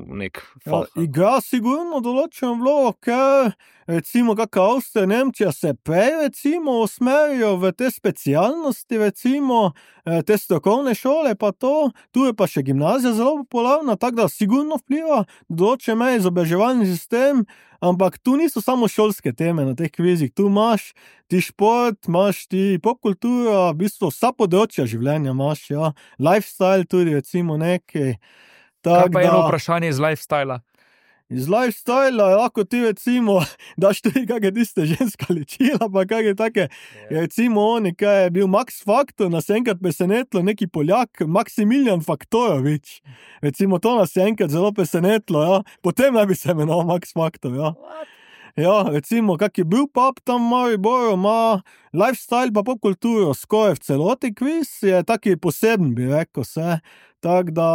[SPEAKER 1] v nek folk.
[SPEAKER 4] Ja, igra sigurno določeno vlogo, ker recimo kakšna Avstrija, Nemčija se prej recimo usmerijo v te specialnosti, recimo te strokovne šole, pa to, tu je pa še gimnazija zelo popularna, tako da sigurno vpliva določen izobraževalni sistem, ampak tu niso samo šolske teme na teh kvizih, tu imaš ti šport, imaš ti popkultura, v bistvu vsa področja življenja imaš, ja, lifestyle tudi recimo nekaj.
[SPEAKER 5] Kaj pa eno vprašanje iz lifestyla?
[SPEAKER 4] Iz lifestyla lahko ti recimo daš tudi kakšne tiste ženska ličila, pa kakšne take, recimo oni, kaj je bil Max Factor, nas je enkrat presenetilo neki Poljak, Maximilian Faktorovič. Recimo to nas je enkrat zelo presenetilo, ja. Potem naj bi se imenoval Max Factor, ja. Ja, recimo, kak je bil pub tam v Mariboru, ima lifestyle pa popkulturo skoraj v celoti kviz, je taki poseben, bi rekel se. Tako da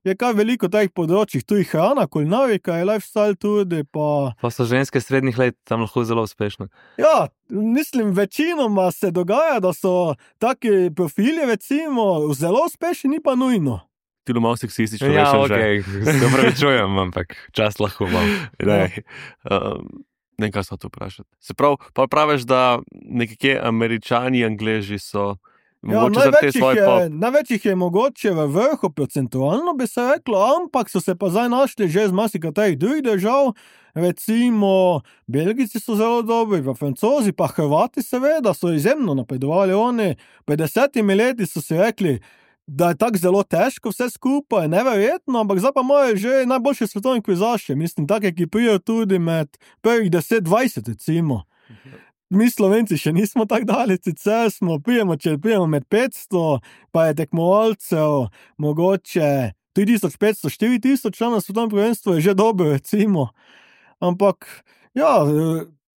[SPEAKER 4] je kar veliko teh področjih, tu je hrana, kulinarika, je lifestyle tudi, pa...
[SPEAKER 1] Pa so ženske srednjih let tam lahko zelo uspešne.
[SPEAKER 4] Ja, mislim, večinoma se dogaja, da so taki profili, recimo, zelo uspešni, ni pa nujno.
[SPEAKER 2] Ti malo seksistično
[SPEAKER 1] Ja,
[SPEAKER 2] rečem
[SPEAKER 1] okej, se opravičujem, ampak čas lahko imam.
[SPEAKER 2] Ne, kaj so to vprašati. Se pravi, pa praviš, da nekje Američani, Angleži so mogoče za te svoje pop.
[SPEAKER 4] Največ je mogoče v vrhu procentualno, bi se reklo, ampak so se pa zdaj našli že z marsikaterih drugih držav, recimo Belgijci so zelo dobri, pa Francozi, pa Hrvati seveda so izjemno napredovali, oni 50 leti so si rekli, da je tako zelo težko vse skupaj, neverjetno, ampak zdaj pa imajo že najboljše svetovne kvizaše, mislim, take, ki prijo tudi med prvih 10-20, recimo. Mi Slovenci še nismo tako daleč, sicer prijemo med 500, pa je tekmovalcev mogoče 3500-4000 na svetovnem prvenstvu je že dobro, recimo. Ampak, ja,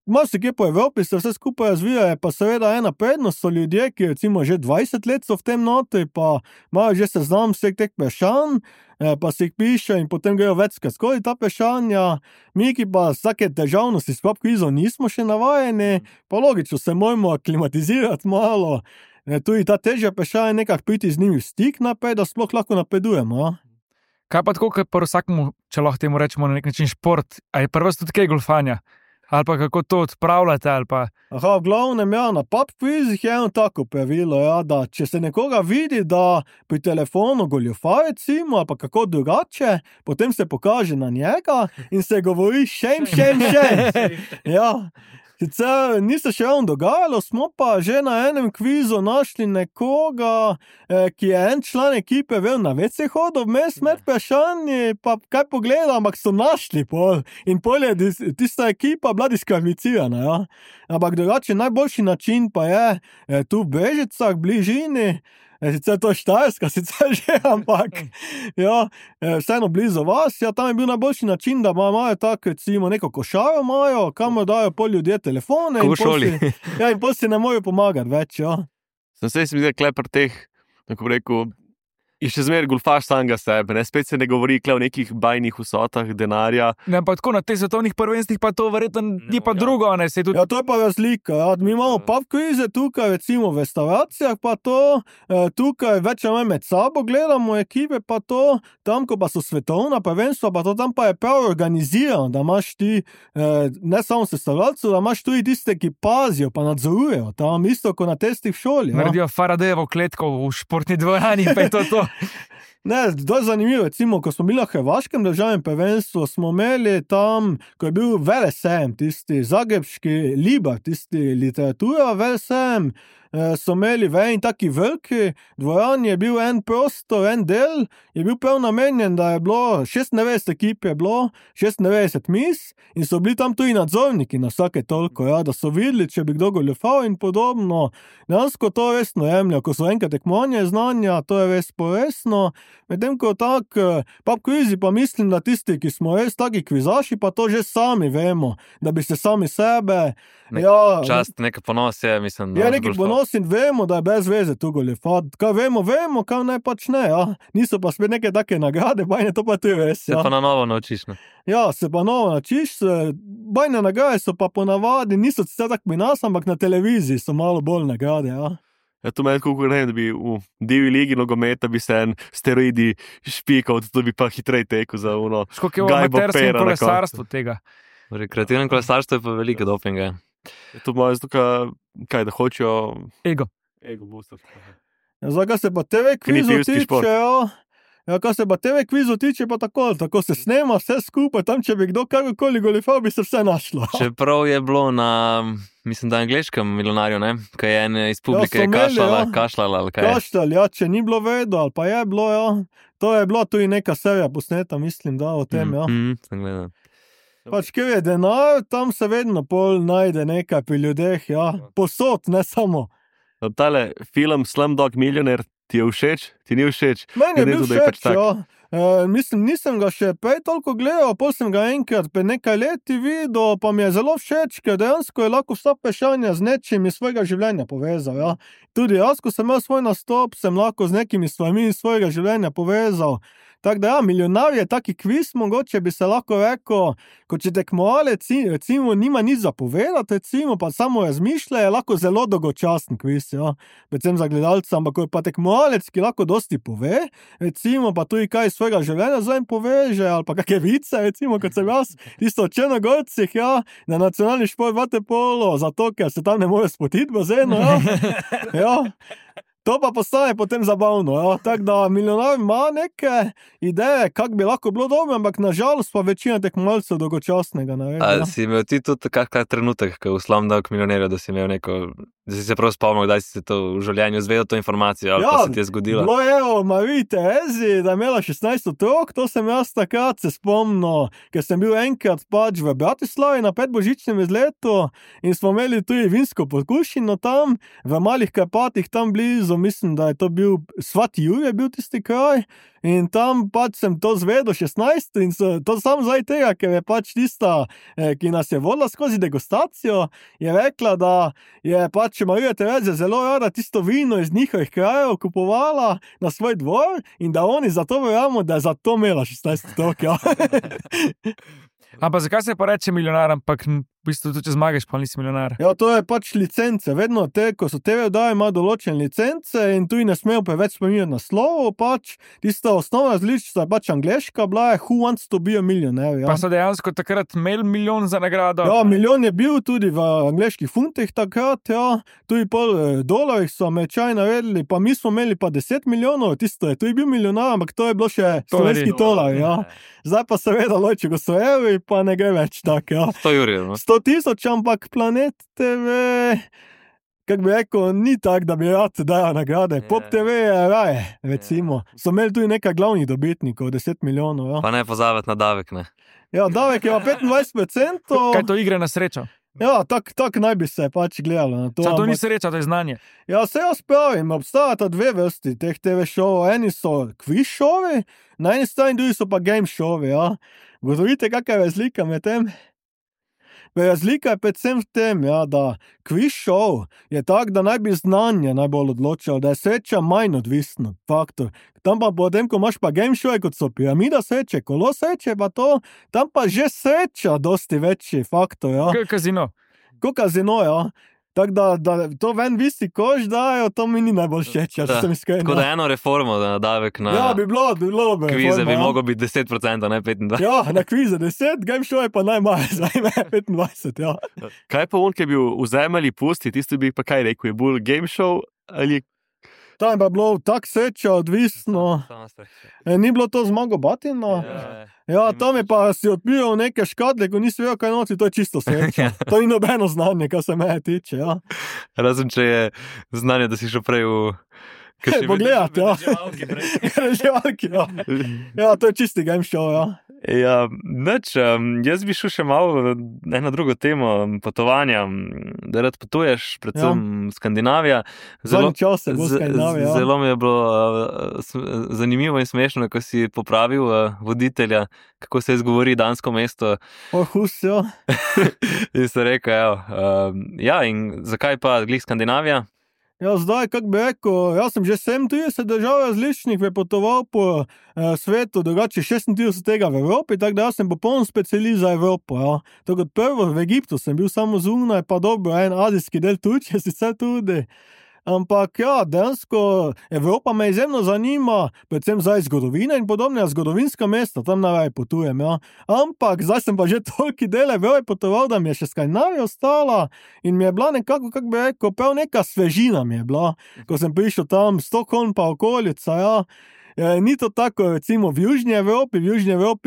[SPEAKER 4] marsikje po Evropi se vse skupaj razvija, je pa seveda ena prednost, so ljudje, ki recimo že 20 let so v tem notri, pa imajo že seznam vseh teh vprašanj, pa si jih piše in potem grejo večkrat skozi ta vprašanja. Mi, ki pa vsake težavnosti s pop-kvizom nismo še navajeni, pa logično se moramo aklimatizirati malo, tudi ta težja vprašanja nekako priti z njimi v stik naprej, da sploh lahko napredujemo.
[SPEAKER 5] Kaj pa tako, kot pa vsakmu, če lahko temu rečemo na nek način šport, a je prva tudi kaj golfanja? Ali pa kako to odpravljate, ali pa...
[SPEAKER 4] Aha, v glavnem, ja, na pub-kvizih je eno tako pravilo, ja, da če se nekoga vidi, da pri telefonu goljufa, recimo, ali pa kako drugače, potem se pokaže na njega in se govori šem. Ja. Sicer ni se še ravno dogajalo, smo pa že na enem kvizu našli nekoga, ki je en član ekipe vel na WC hodil vmes med vprašanji, pa kaj pogleda, ampak so našli pol. In pol je tista ekipa bila diskvalificirana, ja. Ampak drugače najboljši način pa je tu v Brežicah, bližini, sicer to je Štajerska, sicer že, ampak ja, vseeno blizu vas, ja, tam je bil najboljši način, da imajo tako, recimo, neko košaro imajo, kamor dajo pol ljudje telefone.
[SPEAKER 1] Ko v šoli.
[SPEAKER 4] In pol si ne morejo pomagati več, ja.
[SPEAKER 2] Sem se mi zdaj klepar teh, kako bi rekel, in še zmeraj golfaš samega sebe, ne? Spet se ne govori o nekih bajnih vsotah denarja.
[SPEAKER 5] Ne, pa tako na teh svetovnih prvenstvih pa to verjetno ni pa drugo, ne, se tudi...
[SPEAKER 4] Ja, to je pa razlika, ja. Mi imamo pub-kvize tukaj, recimo v restauracijah, pa to, tukaj več ali manj med sabo gledamo ekipe, pa to, tam, ko pa so svetovna prvenstva, pa to tam pa je prav organizirano, da imaš ti, ne samo sestavljalcev, da imaš tudi tiste, ki pazijo, pa nadzorujejo, tam isto, kot na testih v šoli, ja.
[SPEAKER 5] Naredijo Faradejevo kletko v športni dvorani, pa je to.
[SPEAKER 4] Ne, to je zanimivo, recimo, ko smo bili na hrvaškem državnem prvenstvu, smo imeli tam, ko je bil velesem, tisti zagrebški Libar, tisti literatura velesem, so imeli v en taki veliki dvorani, je bil en prostor, en del, je bil prav namenjen, da je bilo 96 ekip, je bilo 96 mis in so bili tam tudi nadzorniki na vsake toliko, ja, da so videli, če bi kdo goljufal in podobno. Dejansko to resno jemljajo, ko so enkrat tekmovanje znanja, to je res poresno, medtem ko tak, pub-kvizi pa mislim, da tisti, ki smo res taki kvizaši, pa to že sami vemo, da bi se sami sebe...
[SPEAKER 1] Čast, neka ponos je, mislim.
[SPEAKER 4] Ja, neki ponos in vemo, da je brez veze tu goljufat. Kaj vemo, kaj ne pač ne, ja. Niso pa spet neke take nagrade, bajne to pa ti res, ja.
[SPEAKER 1] Se pa na novo naučiš, ne?
[SPEAKER 4] Ja, se pa novo naučiš, bajne nagrade so pa ponavadi, niso sicer tak pri nas, ampak na televiziji so malo bolj nagrade, ja.
[SPEAKER 2] Ja, to meni kako ne, da bi v divji ligi nogometa bi se en steroidi špikal, da bi pa hitrej tekel za uno.
[SPEAKER 5] Školiko je v amaterskem kolesarstvu tega?
[SPEAKER 1] V rekreativnem kolesarstvu je pa veliko dopinga.
[SPEAKER 2] To imajo zato, kaj, da hočejo...
[SPEAKER 5] Ego
[SPEAKER 2] boostati.
[SPEAKER 4] Ja, zdaj, kaj se pa TV kvizu tiče, ja, kaj se pa TV kvizu tiče, pa tako se snema vse skupaj, tam, če bi kdo kakokoli goljufal, bi se vse našlo.
[SPEAKER 1] Čeprav je bilo na, mislim, da angleškem milijonarju, ne? Kaj je en iz publike kašljala, ali kaj je?
[SPEAKER 4] Kašljal, ja, če ni bilo vedo, ali pa je bilo, ja. To je bilo tudi neka serija posneta, mislim, da o tem, ja.
[SPEAKER 1] Sem gledal.
[SPEAKER 4] Pač, kjer je denar, tam se vedno pol najde nekaj pri ljudeh, ja. Posod, ne samo.
[SPEAKER 2] Tale film Slumdog Millionaire ti je všeč? Ti ni všeč?
[SPEAKER 4] Meni je bil všeč, ja. Mislim, nisem ga še prej toliko gledal, pol sem ga enkrat pred nekaj leti videl, pa mi je zelo všeč, ker dejansko je lahko vsa vprašanja z nečim iz svojega življenja povezal, ja. Tudi jaz, ko sem imel svoj nastop, sem lahko z nekimi stvarmi iz svojega življenja povezal. Tako da ja, milijonar je taki kviz, mogoče bi se lahko rekel, kot če tekmovalec, recimo, nima nič za povedati, recimo, pa samo razmišlja, je lahko zelo dolgočasen kviz, ja, predvsem za gledalca, ampak ko je pa tekmovalec, ki lahko dosti pove, recimo, pa tudi kaj iz svojega življenja za en poveže, ali pa kakšne vice, recimo, kot sem jaz, tisto o Črnogorcih, ja, na nacionalni šport vaterpolo, zato, ker se tam ne more spotiti bazeno, ja, ja. To pa postane potem zabavno, ja. Tako da milijonar ima neke ideje, kako bi lahko bilo dobro, ampak nažalost pa večina tekmovalcev dolgočasnega naredi.
[SPEAKER 1] A si imel ti tudi kakšen trenutek, ko v Slumdog Millionaire, da si imel neko, da si se prav spomnil, da si se to v življenju zvedel to informacijo, ali pa se ti je zgodilo?
[SPEAKER 4] Bilo je o Mariji Terezi, da je imela 16 otrok, to sem jaz takrat se spomnil, ker sem bil enkrat pač v Bratislavi na predbožičnem izletu in smo imeli tudi vinsko pokušino tam, v Malih Karpatih tam blizu, mislim, da je to bil Svati Jur je bil tisti kraj in tam pač sem to zvedel 16 in to samo zdaj tega, ker je pač tista, ki nas je vodila skozi degustacijo, je rekla, da je pač Marija Terezija zelo rada tisto vino iz njihovih krajev kupovala na svoj dvor in da oni zato verjamo, da je zato imela 16 otrok, ja.
[SPEAKER 5] Ampak zakaj se pa reče milijonar, ampak v bistvu tudi če zmagaš, pa nisi milijonar?
[SPEAKER 4] Ja, to je pač licence. Vedno ko so TV oddaje, ima določene licence in tu ne smejo preveč spominjati naslovov, pač tista osnovna različica je pač angleška bila, je Who Wants to be a Millionaire, ja.
[SPEAKER 5] Pa so dejansko takrat imeli milijon za nagrado?
[SPEAKER 4] Ja, milijon je bil tudi v angleških funtih takrat, ja. Tudi $1 so Američani naredili, pa mi smo imeli pa 10 milijonov, tisto je tudi bil milijonar, ampak to je bilo še slovenski tolar, ja. Zdaj pa seveda Lojče Gostojevi, pa ne gre več tako, ja.
[SPEAKER 1] 100 jurjev, no.
[SPEAKER 4] 100,000, ampak Planet TV, kako bi rekel, ni tak, da bi rad dajal nagrade. Pop TV je raje, recimo. So imeli tudi nekaj glavnih dobitnikov, 10 milijonov, ja.
[SPEAKER 1] Pa ne pozabiti na davek, ne.
[SPEAKER 4] Ja, davek je 25%.
[SPEAKER 5] Kaj to igre na srečo?
[SPEAKER 4] Ja, tak naj bi se pač gledalo na to.
[SPEAKER 5] To ni sreča, to je znanje.
[SPEAKER 4] Ja, se jaz pravim, obstajata dve vrsti teh TV šovov. Eni so quiz šovi, na eni strani drugi so pa game šovi, ja. Gotovite, kakva je razlika med tem? Razlika je predvsem v tem, ja, da quiz šov je tak, da naj bi znanje najbolj odločal, da je sreča manj odvisno faktor. Tam pa potem, ko imaš pa game šove, kot so piramida sreče, kolo sreče, pa to, tam pa že sreča dosti večji faktor, ja.
[SPEAKER 5] Kazino.
[SPEAKER 4] Ko kazino, ja. Tako da to ven visi kož dajo, to mi ni najbolj všeč, če sem iskren.
[SPEAKER 1] Tako da eno reformo na davek na
[SPEAKER 4] ja, bi bilo
[SPEAKER 1] kvize bi moglo biti 10%, ne 25%.
[SPEAKER 4] Ja, na kvize 10, game show je pa najmanj, zdaj 25, ja.
[SPEAKER 2] Kaj pa on, ki je bil v zemlji pusti, tisti bi pa kaj rekel, je bolj game show ali...
[SPEAKER 4] Tam je bilo tak sreča, odvisno. Ni bilo to zmago Batina? Ja, tam je pa si odpiral neke škatle, ko nisi vedel, kaj noci, to je čisto sreča. To ni nobeno znanje, kar se meje tiče, ja.
[SPEAKER 1] Razen, če je znanje, da si šel prej v...
[SPEAKER 4] Pogledati, ja. Reživalki, ja. Ja, to je čisti game show, ja.
[SPEAKER 1] Ja, nič, jaz bi šel še malo na drugo temo potovanja, da rad potuješ, predvsem Skandinavija.
[SPEAKER 4] Zelo
[SPEAKER 1] mi je bilo zanimivo in smešno, ko si popravil voditelja, kako se izgovori dansko mesto.
[SPEAKER 4] Husjo.
[SPEAKER 1] In se rekel, ja, in zakaj pa glih Skandinavija?
[SPEAKER 4] Ja, zdaj, kako bi rekel, jaz sem že 37 držav različnih prepotoval po svetu, drugače 36 tega v Evropi, tako da jaz sem popoln specialist za Evropo, ja. To kot prvo v Egiptu sem bil samo zunaj, pa dobro, en azijski del Turčije sicer tudi. Ampak ja, dejansko Evropa me izjemno zanima, predvsem zdaj zgodovina in podobne, zgodovinska mesta, tam najraje potujem, ja. Ampak zdaj sem pa že toliki del Evrope potoval, da mi je še Skandinavija ostala in mi je bila nekako, kako bi rekel, prav neka svežina mi je bila, ko sem prišel tam, Stockholm pa okolica, ja. Ni to tako, recimo v Južni Evropi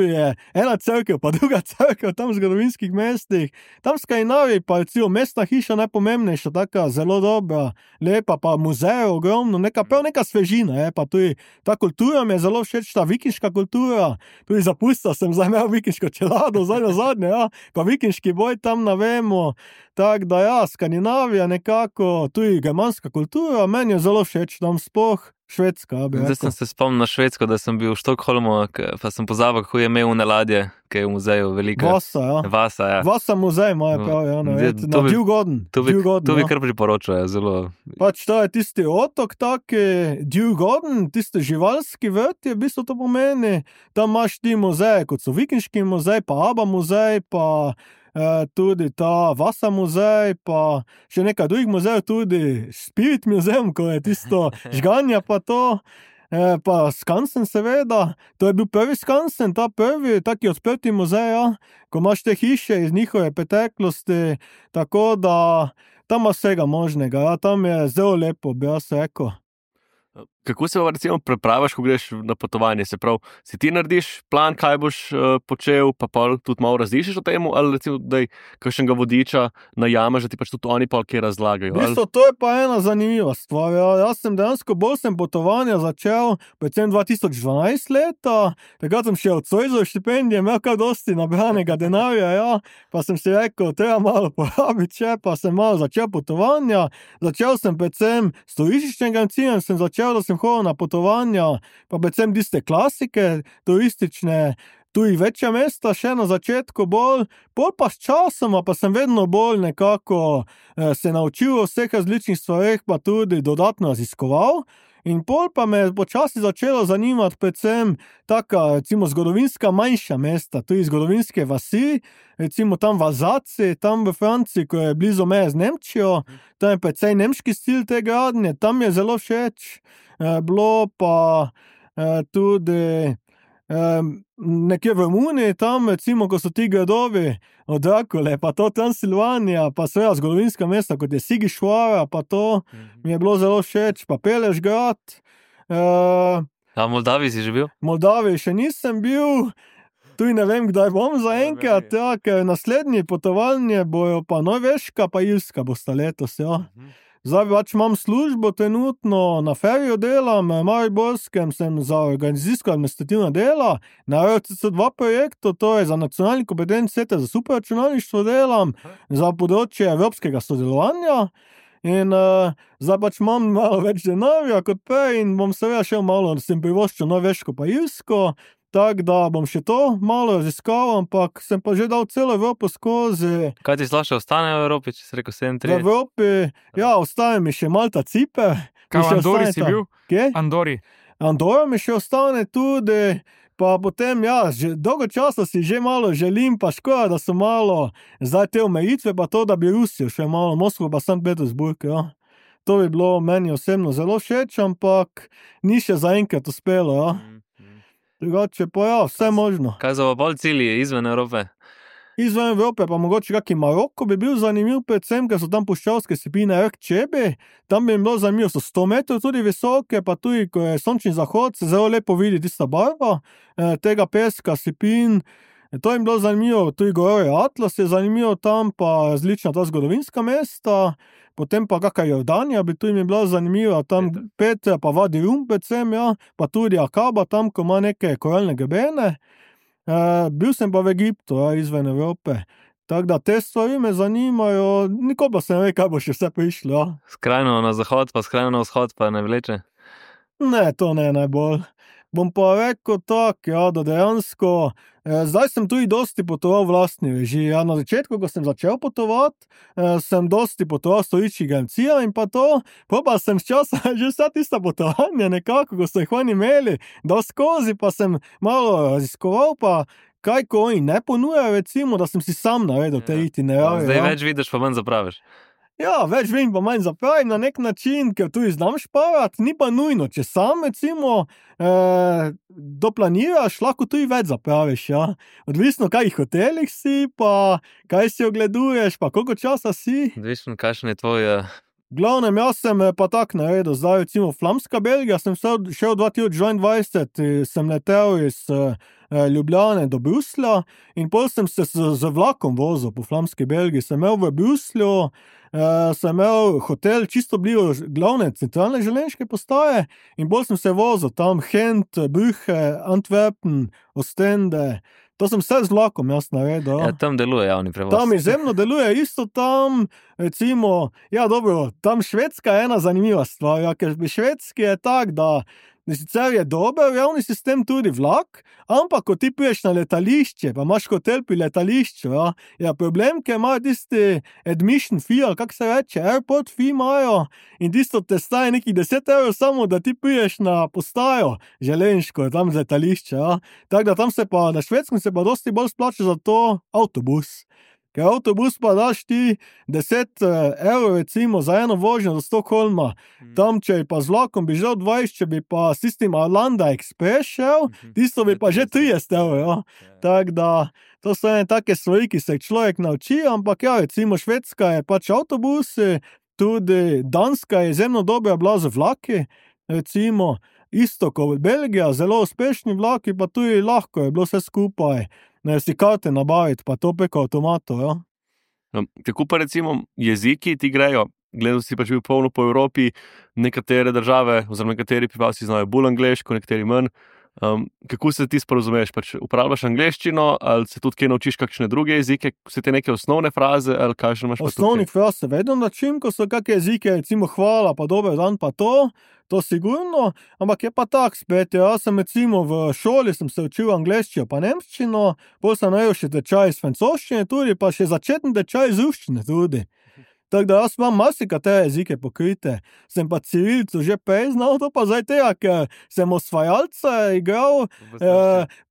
[SPEAKER 4] je ena cerkev, pa druga cerkev tam v zgodovinskih mestih, tam v Skandinaviji pa recimo mestna hiša najpomembnejša, taka zelo dobra, lepa, pa muzeje ogromno, prav neka svežina, pa tudi ta kultura mi je zelo všeč, ta vikinška kultura, tudi zapustil sem zdaj imel vikinško čelado, zdaj nazadnje, ja, pa vikinški boj tam navemo, tako da ja, Skandinavija nekako, tudi germanska kultura, meni je zelo všeč tam sploh. Švedska, bi rekel.
[SPEAKER 1] Zdaj sem se spomnil na Švedsko, da sem bil v Štokholmu, pa sem pozabil, kako je imel une ladje, ki je v muzeju velika.
[SPEAKER 4] Vasa, ja. Vasa muzej imajo prav, ja, ne vem. Na Djurgården.
[SPEAKER 1] To bi kar priporočal, zelo.
[SPEAKER 4] Pač to je tisti otok, taki Djurgården, tisti živalski vrt je v bistvu to pomeni. Tam imaš ti muzeje, kot so Vikinški muzej, pa Aba muzej, pa tudi ta Vasa muzej, pa še nekaj drugih muzejev, tudi Spirit muzeum, ko je tisto žganja pa to, pa Skansen seveda, to je bil prvi Skansen, ta prvi, taki odprti muzej, ja, ko imaš te hiše iz njihove preteklosti, tako da tam ima vsega možnega, ja, tam je zelo lepo, bi jaz rekel.
[SPEAKER 2] Kako se recimo prepravaš, ko greš na potovanje? Se pravi, si ti narediš plan, kaj boš počel, pa tudi malo različiš o tem, ali recimo, da je kakšnega vodiča najameš, da ti pač tudi oni pa kaj razlagajo?
[SPEAKER 4] V bistvu, to je pa ena zanimiva stvar. Ja. Jaz sem dejansko bolj potovanja začel, predvsem 2012 leta, takrat sem še od Zoisove štipendije imel kar dosti nabranega denarja, ja. Pa sem si rekel, treba malo porabiti, pa sem malo začel potovanja. Začel sem predvsem s turističnim agencijem, sem začel, da sem sem hodil na potovanja, pa predvsem tiste klasike, turistične, tudi večja mesta, še na začetku bolj, pol pa s časoma, pa sem vedno bolj nekako se naučil o vseh različnih stvareh, pa tudi dodatno raziskoval. In pol pa me počasi začelo zanimati predvsem taka, recimo, zgodovinska manjša mesta, tudi zgodovinske vasi, recimo tam v Alzaciji, tam v Franciji, ko je blizu meje z Nemčijo, tam je precej nemški stil te gradnje, tam je zelo všeč. Bilo pa tudi nekje v Romuniji, tam recimo, ko so ti gradovi od Drakule, pa to Transilvanija, pa seveda zgodovinska mesta, kot je Sigišvara, pa to mi je bilo zelo všeč, pa Pelešgrad.
[SPEAKER 1] A v Moldaviji si že bil?
[SPEAKER 4] V Moldaviji še nisem bil, tudi ne vem, kdaj bom zaenkrat, ja, ker naslednji potovalni bojo pa Norveška, pa Irska bosta letos, ja. Zdaj pač imam službo trenutno, na feriju delam, v Mariborskem sem za organizacijsko-administrativna dela, na RCC2 projektu, to je za nacionalni kompetenčni center za superračunalništvo delam, za področje evropskega sodelovanja. In zdaj pač imam malo več denarja kot prej in bom seveda šel malo, sem privoščil Norveško pa Irsko, tako da bom še to malo raziskal, ampak sem pa že dal celo Evropo skozi.
[SPEAKER 1] Kaj ti slaše ostane v Evropi, če si rekel 37?
[SPEAKER 4] V Evropi, ja, ostane mi še Malta, Ciper.
[SPEAKER 5] Kaj v Andori si bil?
[SPEAKER 4] Kje?
[SPEAKER 5] Andori.
[SPEAKER 4] Andora mi še ostane tudi, pa potem, ja, že dolgo časa si že malo želim, pa škoda, da so malo zdaj te omejitve, pa to, da bi Rusijo še malo, Moskvo pa Sankt Petersburg, ja. To bi bilo meni osebno zelo všeč, ampak ni še zaenkrat uspelo, ja. Drugače pa ja, vse možno.
[SPEAKER 1] Kaj so pa bolj cilji izven Evrope?
[SPEAKER 4] Izven Evrope pa mogoče kaki Maroko bi bil zanimiv, predvsem, ker so tam puščavske sipine Erkčebi, tam bi jim bilo zanimivo, so 100 metrov tudi visoke, pa tudi, ko je sončni zahod, se zelo lepo vidi tista barva tega peska, sipin. To jim bilo zanimivo, tudi Gorje Atlas je zanimivo tam, pa različna ta zgodovinska mesta, potem pa kakšna Jordanija bi tu jim bila zanimiva, tam Petra pa Vadi Rum predvsem, ja, pa tudi Akaba tam, ko ima neke koralne grebene. Bil sem pa v Egiptu, ja, izven Evrope. Tako da te stvari me zanimajo, nikoli pa se ne ve, kaj bo še vse prišlo, ja.
[SPEAKER 1] Skrajno na zahod, pa skrajno na vzhod, pa ne vleče?
[SPEAKER 4] Ne, to ne najbolj. Bom pa rekel tako, ja, da dejansko, zdaj sem tudi dosti potoval v lastni režiji. Ja, na začetku, ko sem začel potovati, sem dosti potoval s turističnimi agencijami in pa to, pa sem sčasoma že vsa tista potovanja nekako, ko so jih oni imeli, dal skozi, pa sem malo raziskoval, pa kaj, ko oni ne ponujajo, recimo, da sem si sam naredil te itinerarje.
[SPEAKER 1] Zdaj
[SPEAKER 4] ja.
[SPEAKER 1] več vidiš, pa manj zapraviš.
[SPEAKER 4] Ja, več vem, pa manj zapravim na nek način, ker tudi znam šparati, ni pa nujno, če sam, recimo, doplaniraš, lahko tudi več zapraviš, ja. Odvisno, kaj hotelih si, pa kaj si ogleduješ, pa koliko časa si.
[SPEAKER 1] Odvisno, kakšen je tvoj...
[SPEAKER 4] V glavnem, jaz sem pa tak naredil, zdaj recimo Flamska Belgija, sem šel 2022, sem letel iz Ljubljane do Bruslja in pol sem se z vlakom vozil po Flamski Belgiji, sem imel v Bruslju, sem imel hotel čisto blizu glavne centralne železniške postaje in bolj sem se vozil tam Gent, Brugge, Antwerpen, Ostende. To sem vse z vlakom jaz naredil.
[SPEAKER 1] Ja, tam deluje javni prevoz.
[SPEAKER 4] Tam izjemno deluje, isto tam, recimo, ja dobro, tam Švedska je ena zanimiva stvar, ja, ker pri Švedski je tak, da sicer je dober javni sistem tudi vlak, ampak ko ti priješ na letališče, pa imaš hotel pri letališču, ja, je problem, ker imajo tisti admission fee, ali kako se reče, airport fee imajo in tisto te staje nekih 10 € samo, da ti priješ na postajo železniško, tam z letališča, ja. Tako da tam se pa, na Švedskem se pa dosti bolj splača za to avtobus. Ker avtobus pa daš ti 10 € recimo za eno vožnjo do Stockholma. Tam, če pa z vlakom bi že 20, če bi pa s tistim Arlanda Express šel, tisto bi pa že 30 €, ja. Tako da, to so ene take stvari, ki se človek nauči, ampak ja, recimo Švedska je pač avtobusi, tudi Danska je izjemno dobra bila z vlaki, recimo isto kot Belgija, zelo uspešni vlaki, pa tudi lahko je bilo vse skupaj. Ne, si karte nabaviti, pa to preko avtomatov, ja.
[SPEAKER 2] No, tako pa recimo jeziki ti grejo, gledal si pač bil polno po Evropi, nekatere države, oziroma nekateri prebivalci znajo bolj angleško, nekateri manj. Kako se ti sporozumeš? Pač uporabljaš angleščino ali se tudi kaj naučiš kakšne druge jezike? Se te neke osnovne fraze ali kaj še imaš?
[SPEAKER 4] Osnovnih fraz se vedno načim, ko so kakšne jezike, recimo hvala, pa dober dan, pa to sigurno, ampak je pa tak spet, jaz sem recimo v šoli sem se učil angleščino pa nemščino, potem sem najel še tečaj iz francoščine tudi, pa še začetni tečaj iz ruščine tudi. Tako da jaz imam marsikatere jezike pokrite, sem pa civilcu že prej znal, to pa zdaj tega, ker sem osvajalca igral,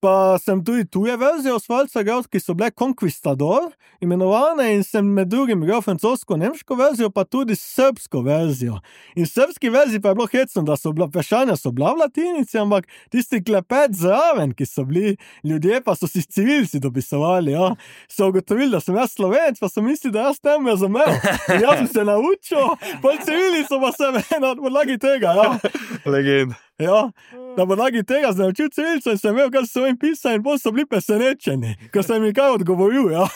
[SPEAKER 4] pa sem tudi tuje verzije osvajalca igral, ki so bile Conquistador imenovane in sem med drugim igral francosko-nemško verzijo, pa tudi srbsko verzijo. In srbski verziji pa je bilo hecno, da so bila vprašanja so bila v latinici, ampak tisti klepet zraven, ki so bili ljudje, pa so si civilci dopisovali, ja. So ugotovili, da sem jaz Slovenec, pa so mislili, da jaz tem razumel. In jaz sem se naučil, pa civilico pa sem na podlagi tega, ja.
[SPEAKER 2] Legend.
[SPEAKER 4] Ja, na podlagi tega sem naučil civilico in sem imel, kaj so jim pisali in potem so bili presenečeni, ker sem jim kaj odgovoril, ja.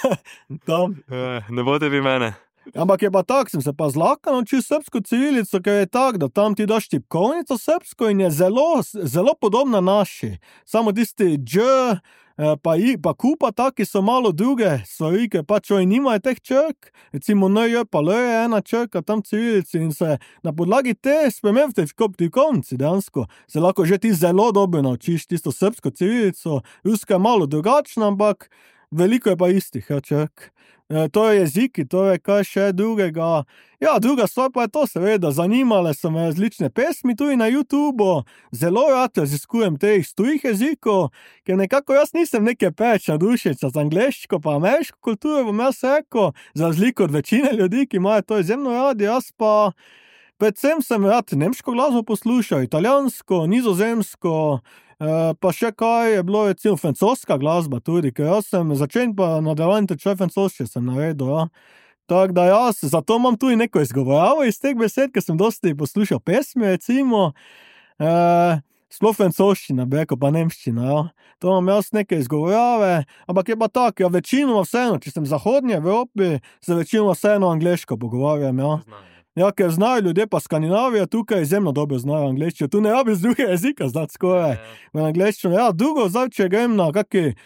[SPEAKER 4] Tam.
[SPEAKER 1] Ne bote vi mene.
[SPEAKER 4] Ampak je pa tak, sem se pa zlahka naučil srbsko civilico, ker je tak, da tam ti daš tipkovnico srbsko in je zelo podobna naši. Samo tisti pa kupa taki so malo druge stvari, ker pač oni nimajo teh črk, recimo NJ pa L je ena črka tam civilici in se na podlagi te sprememb v tipkovnici dejansko se lahko že ti zelo dobro naučiš tisto srbsko civilico, ruska je malo drugačna, ampak veliko je pa istih črk. To je jeziki, to je kaj še drugega. Ja, druga stvar pa je to seveda, zanimale so me različne pesmi tudi na YouTubeu, zelo rad raziskujem teh tujih jezikov, ker nekako jaz nisem neke peč navdušenca za angleško pa ameriško kulturo, bom jaz rekel, za razliko od večine ljudi, ki imajo to izjemno radi, jaz pa predvsem sem rad nemško glasbo poslušal, italijansko, nizozemsko, pa še kaj je bilo, recimo francoska glasba tudi, ker jaz sem začel pa nadaljevanje tečaj francoščine sem naredil, ja. Tako da jaz, zato imam tudi neko izgovorjavo iz teh besed, ker sem dosti poslušal pesmi, recimo, sploh francoščina, beko pa nemščina, ja. To imam jaz neke izgovorjave, ampak je pa tak, ja, večinoma vseeno, če sem v zahodnji Evropi, se večinoma vseeno angleško pogovarjam, ja. Ja, ker znajo ljudje pa Skandinavija tukaj izjemno dobro znajo angleščino. Tu ne rabiš druge jezika znati skoraj. V angleščino. Ja, drugo zdaj, če grem na kaki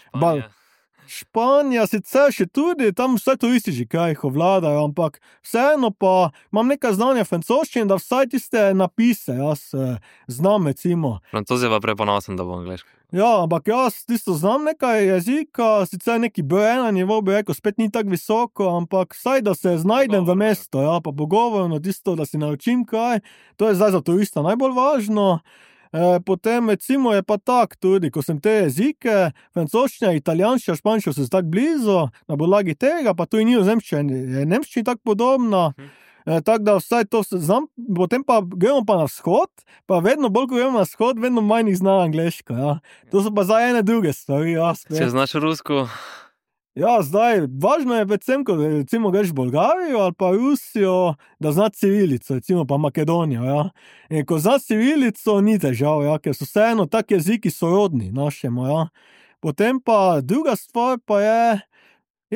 [SPEAKER 4] Španija sicer še tudi, tam vse turistični kraji ovladajo, ampak vseeno pa imam nekaj znanja francoščine, da vsaj tiste napise jaz znam, recimo.
[SPEAKER 1] Francoz je pa preponosen, da bo angleško.
[SPEAKER 4] Ja, ampak jaz tisto znam nekaj jezika, sicer neki B1 nivo bi rekel, spet ni tako visoko, ampak vsaj, da se znajdem v mesto, ja, pa pogovorno tisto, da si naučim kaj, to je zdaj za turista najbolj važno. Potem recimo je pa tak tudi, ko sem te jezike, francoščina, italijanščina, španščina so tako blizu, na podlagi tega, pa tudi nizozemščina je nemščina tako podobna, tako da vsaj to znam, potem pa gremo pa na vzhod, pa vedno bolj, ko gremo na vzhod, vedno manj jih zna angleško, ja. To so pa zdaj ene druge stvari, ja.
[SPEAKER 1] Če znaš rusko?
[SPEAKER 4] Ja, zdaj, važno je predvsem, ko recimo greš v Bolgarijo ali pa Rusijo, da zna civilico, recimo pa Makedonijo, ja. In ko zna civilico, ni težav, ja, ker so vseeno tak jeziki sorodni našemu, ja. Potem pa druga stvar pa je,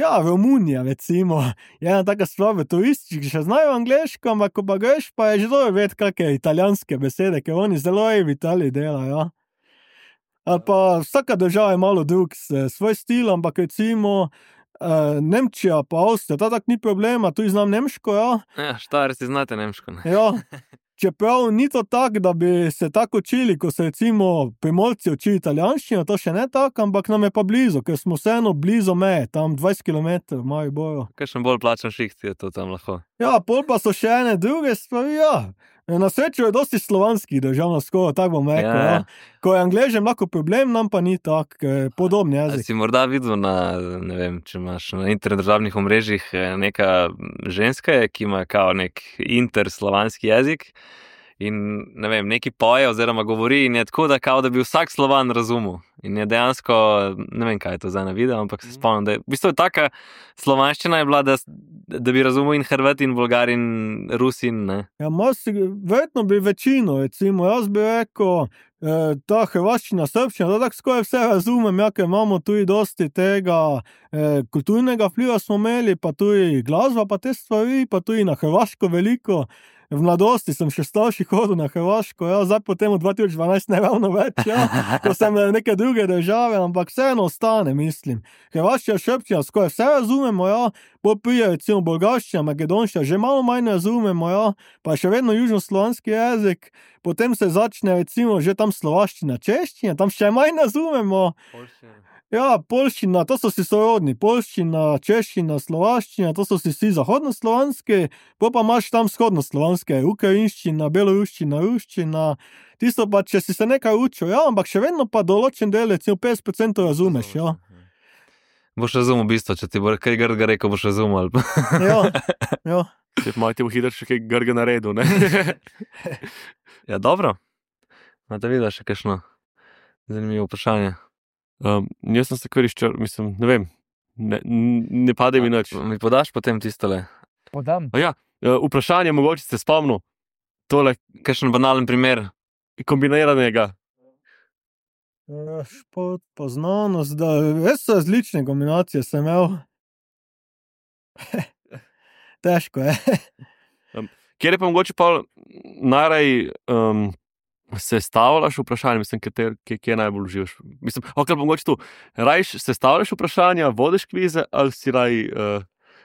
[SPEAKER 4] ja, Romunija, recimo, je ena taka stvar v turističnih, ki še znajo angleško, ampak ko pa greš, pa je že dobro vedeti kakšne italijanske besede, ker oni zelo v Italiji delajo, ja. Ali pa vsaka država je malo drug svoj stil, ampak recimo Nemčija pa Avstrija, ta tak ni problema, tudi znam nemško, ja.
[SPEAKER 1] Ja, Štajerci znate nemško, ne?
[SPEAKER 4] Ja, čeprav ni to tak, da bi se tako učili, ko se recimo Primorci učili italijanščino, to še ne tak, ampak nam je pa blizu, ker smo vseeno blizu meje, tam 20 km v Mariboru.
[SPEAKER 1] Kakšen bolj plačan šiht je to tam lahko?
[SPEAKER 4] Ja, pol pa so še ene druge stvari, ja. Na srečo je dosti slovanskih držav na skoraj, tako bom rekel, ja. Ko je Angležem lahko problem, nam pa ni tak, podobni jezik.
[SPEAKER 1] Si morda videl na, ne vem, če imaš na interdržavnih omrežjih neka ženska, ki ima kao nek interslovanski jezik in, ne vem, neki poje oziroma govori in je tako, da kao, da bi vsak Slovan razumel. In je dejansko, ne vem, kaj je to zdaj na video, ampak se spomnim, da je v bistvu taka slovanščina je bila, da bi razumel in Hrvat in Bolgar in Rusin, ne?
[SPEAKER 4] Ja, verjetno bi večino, recimo, jaz bi rekel, ta hrvaščina, srbščina, da tako skoraj vse razumem, ja, ker imamo tudi dosti tega kulturnega vpliva smo imeli, pa tudi glasba, pa te stvari, pa tudi na hrvaško veliko. v mladosti sem še starši hodil na Hrvaško, ja, zdaj potem v 2012 ne ravno več, ja, ko sem neke druge države, ampak vseeno ostane, mislim. Hrvaščina, srbščina, skoraj vse razumemo, ja, bolj prije recimo bolgarščina, makedonščina, že malo manj razumemo, ja, pa še vedno južnoslovanski jezik, potem se začne recimo že tam slovaščina, češčina, tam še manj razumemo. Ja, poljščina, to so si sorodni, poljščina, češčina, slovaščina, to so si vsi zahodnoslovanski, pa imaš tam vzhodnoslovanske, ukrajinščina, beloruščina, ruščina, tisto pa, če si se nekaj učil, ja, ampak še vedno pa določen del, recimo 50% razumeš, ja.
[SPEAKER 1] Boš razumel bistvo, če ti bo kaj grdga rekel, boš razumel.
[SPEAKER 4] Ja, ja.
[SPEAKER 2] Če malo ti bo hitro še kaj grga naredil, ne?
[SPEAKER 1] Ja, dobro. Imate videla še kakšno zanimivo vprašanje?
[SPEAKER 2] Jaz sem se kar izčrl, mislim, ne vem, ne pade mi nič.
[SPEAKER 1] Mi podaš potem tistole?
[SPEAKER 5] Podam.
[SPEAKER 2] Vprašanje, mogoče ste spomnil, tole
[SPEAKER 1] Kakšen banalen primer?
[SPEAKER 2] kombiniranega.
[SPEAKER 4] Šport, pa znanost, da res različne kombinacije sem imel. Težko je.
[SPEAKER 2] Kjer je pa mogoče pa najraj sestavljaš vprašanje, mislim, kje najbolj uživaš? Mislim, pa mogoče tu, rajš sestavljaš vprašanja, vodiš kvize, ali si raj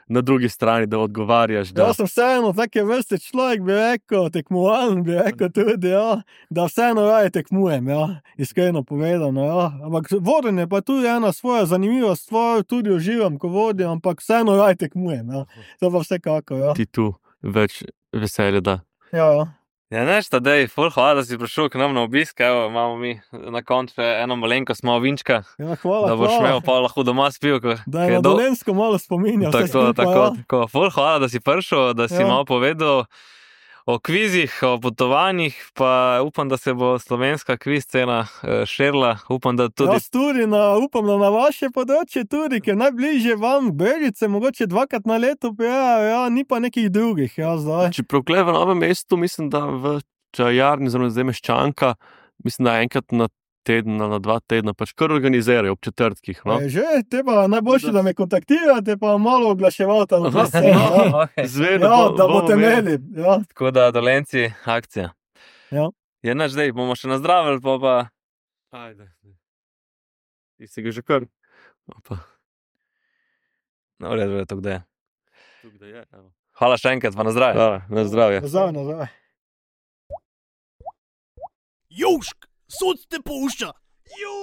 [SPEAKER 2] na drugi strani, da odgovarjaš?
[SPEAKER 4] Jaz sem vseeno take vrste človek, bi rekel, tekmovalen, bi rekel tudi, ja, da vseeno raje tekmujem, ja, iskreno povedano, ja. Ampak vodenje pa tudi ena svoja zanimiva stvar, tudi uživam, ko vodim, ampak vseeno raje tekmujem, ja. To pa vsekako, ja.
[SPEAKER 2] Ti tu več veselja, da.
[SPEAKER 4] Ja, ja.
[SPEAKER 1] Ja, neš, Tadej, ful hvala, da si prišel k nam na obisk, evo, imamo mi na koncu eno malenkost malo vinčka,
[SPEAKER 4] Ja, hvala,
[SPEAKER 1] da boš
[SPEAKER 4] hvala.
[SPEAKER 1] imel pa lahko doma spil,
[SPEAKER 4] Da je na Dolenjsko malo spominja vse
[SPEAKER 1] Tako,
[SPEAKER 4] skupaj, ja.
[SPEAKER 1] tako. Ful hvala, da si prišel, da si
[SPEAKER 4] Ja.
[SPEAKER 1] malo povedal o kvizih, o potovanjih, pa upam, da se bo slovenska kviz scena širila, upam, da tudi...
[SPEAKER 4] Jaz tudi upam, da na vaše področje tudi, ker najbližje vam Brežice, mogoče 2krat na leto prijajo, ja, ni pa nekih drugih, ja, zdaj.
[SPEAKER 2] Čeprav tukaj v Novem mestu, mislim, da v čajarni, oziroma zdaj Meščanka, mislim, da enkrat na teden, na 2 tedna, pač kar organizirajo ob četrtkih, no.
[SPEAKER 4] Že, te pa najboljše, da me kontaktirate, pa malo oglaševate na to sceno, ja.
[SPEAKER 2] Zvedno,
[SPEAKER 4] Ja, da boste imeli, ja.
[SPEAKER 1] Tako da, Dolenci, akcija.
[SPEAKER 4] Ja.
[SPEAKER 1] Je naš, zdaj bomo še nazdravili, pa...
[SPEAKER 2] Ajde. Ti si ga že kar. Opa,
[SPEAKER 1] No, v redu je to, kde je.
[SPEAKER 2] tukaj je, evo.
[SPEAKER 1] Hvala še enkrat, pa nazdravje.
[SPEAKER 2] Na zdravje.
[SPEAKER 4] Nazaj, nazaj.
[SPEAKER 3] Južk, sod te pušča. Južk.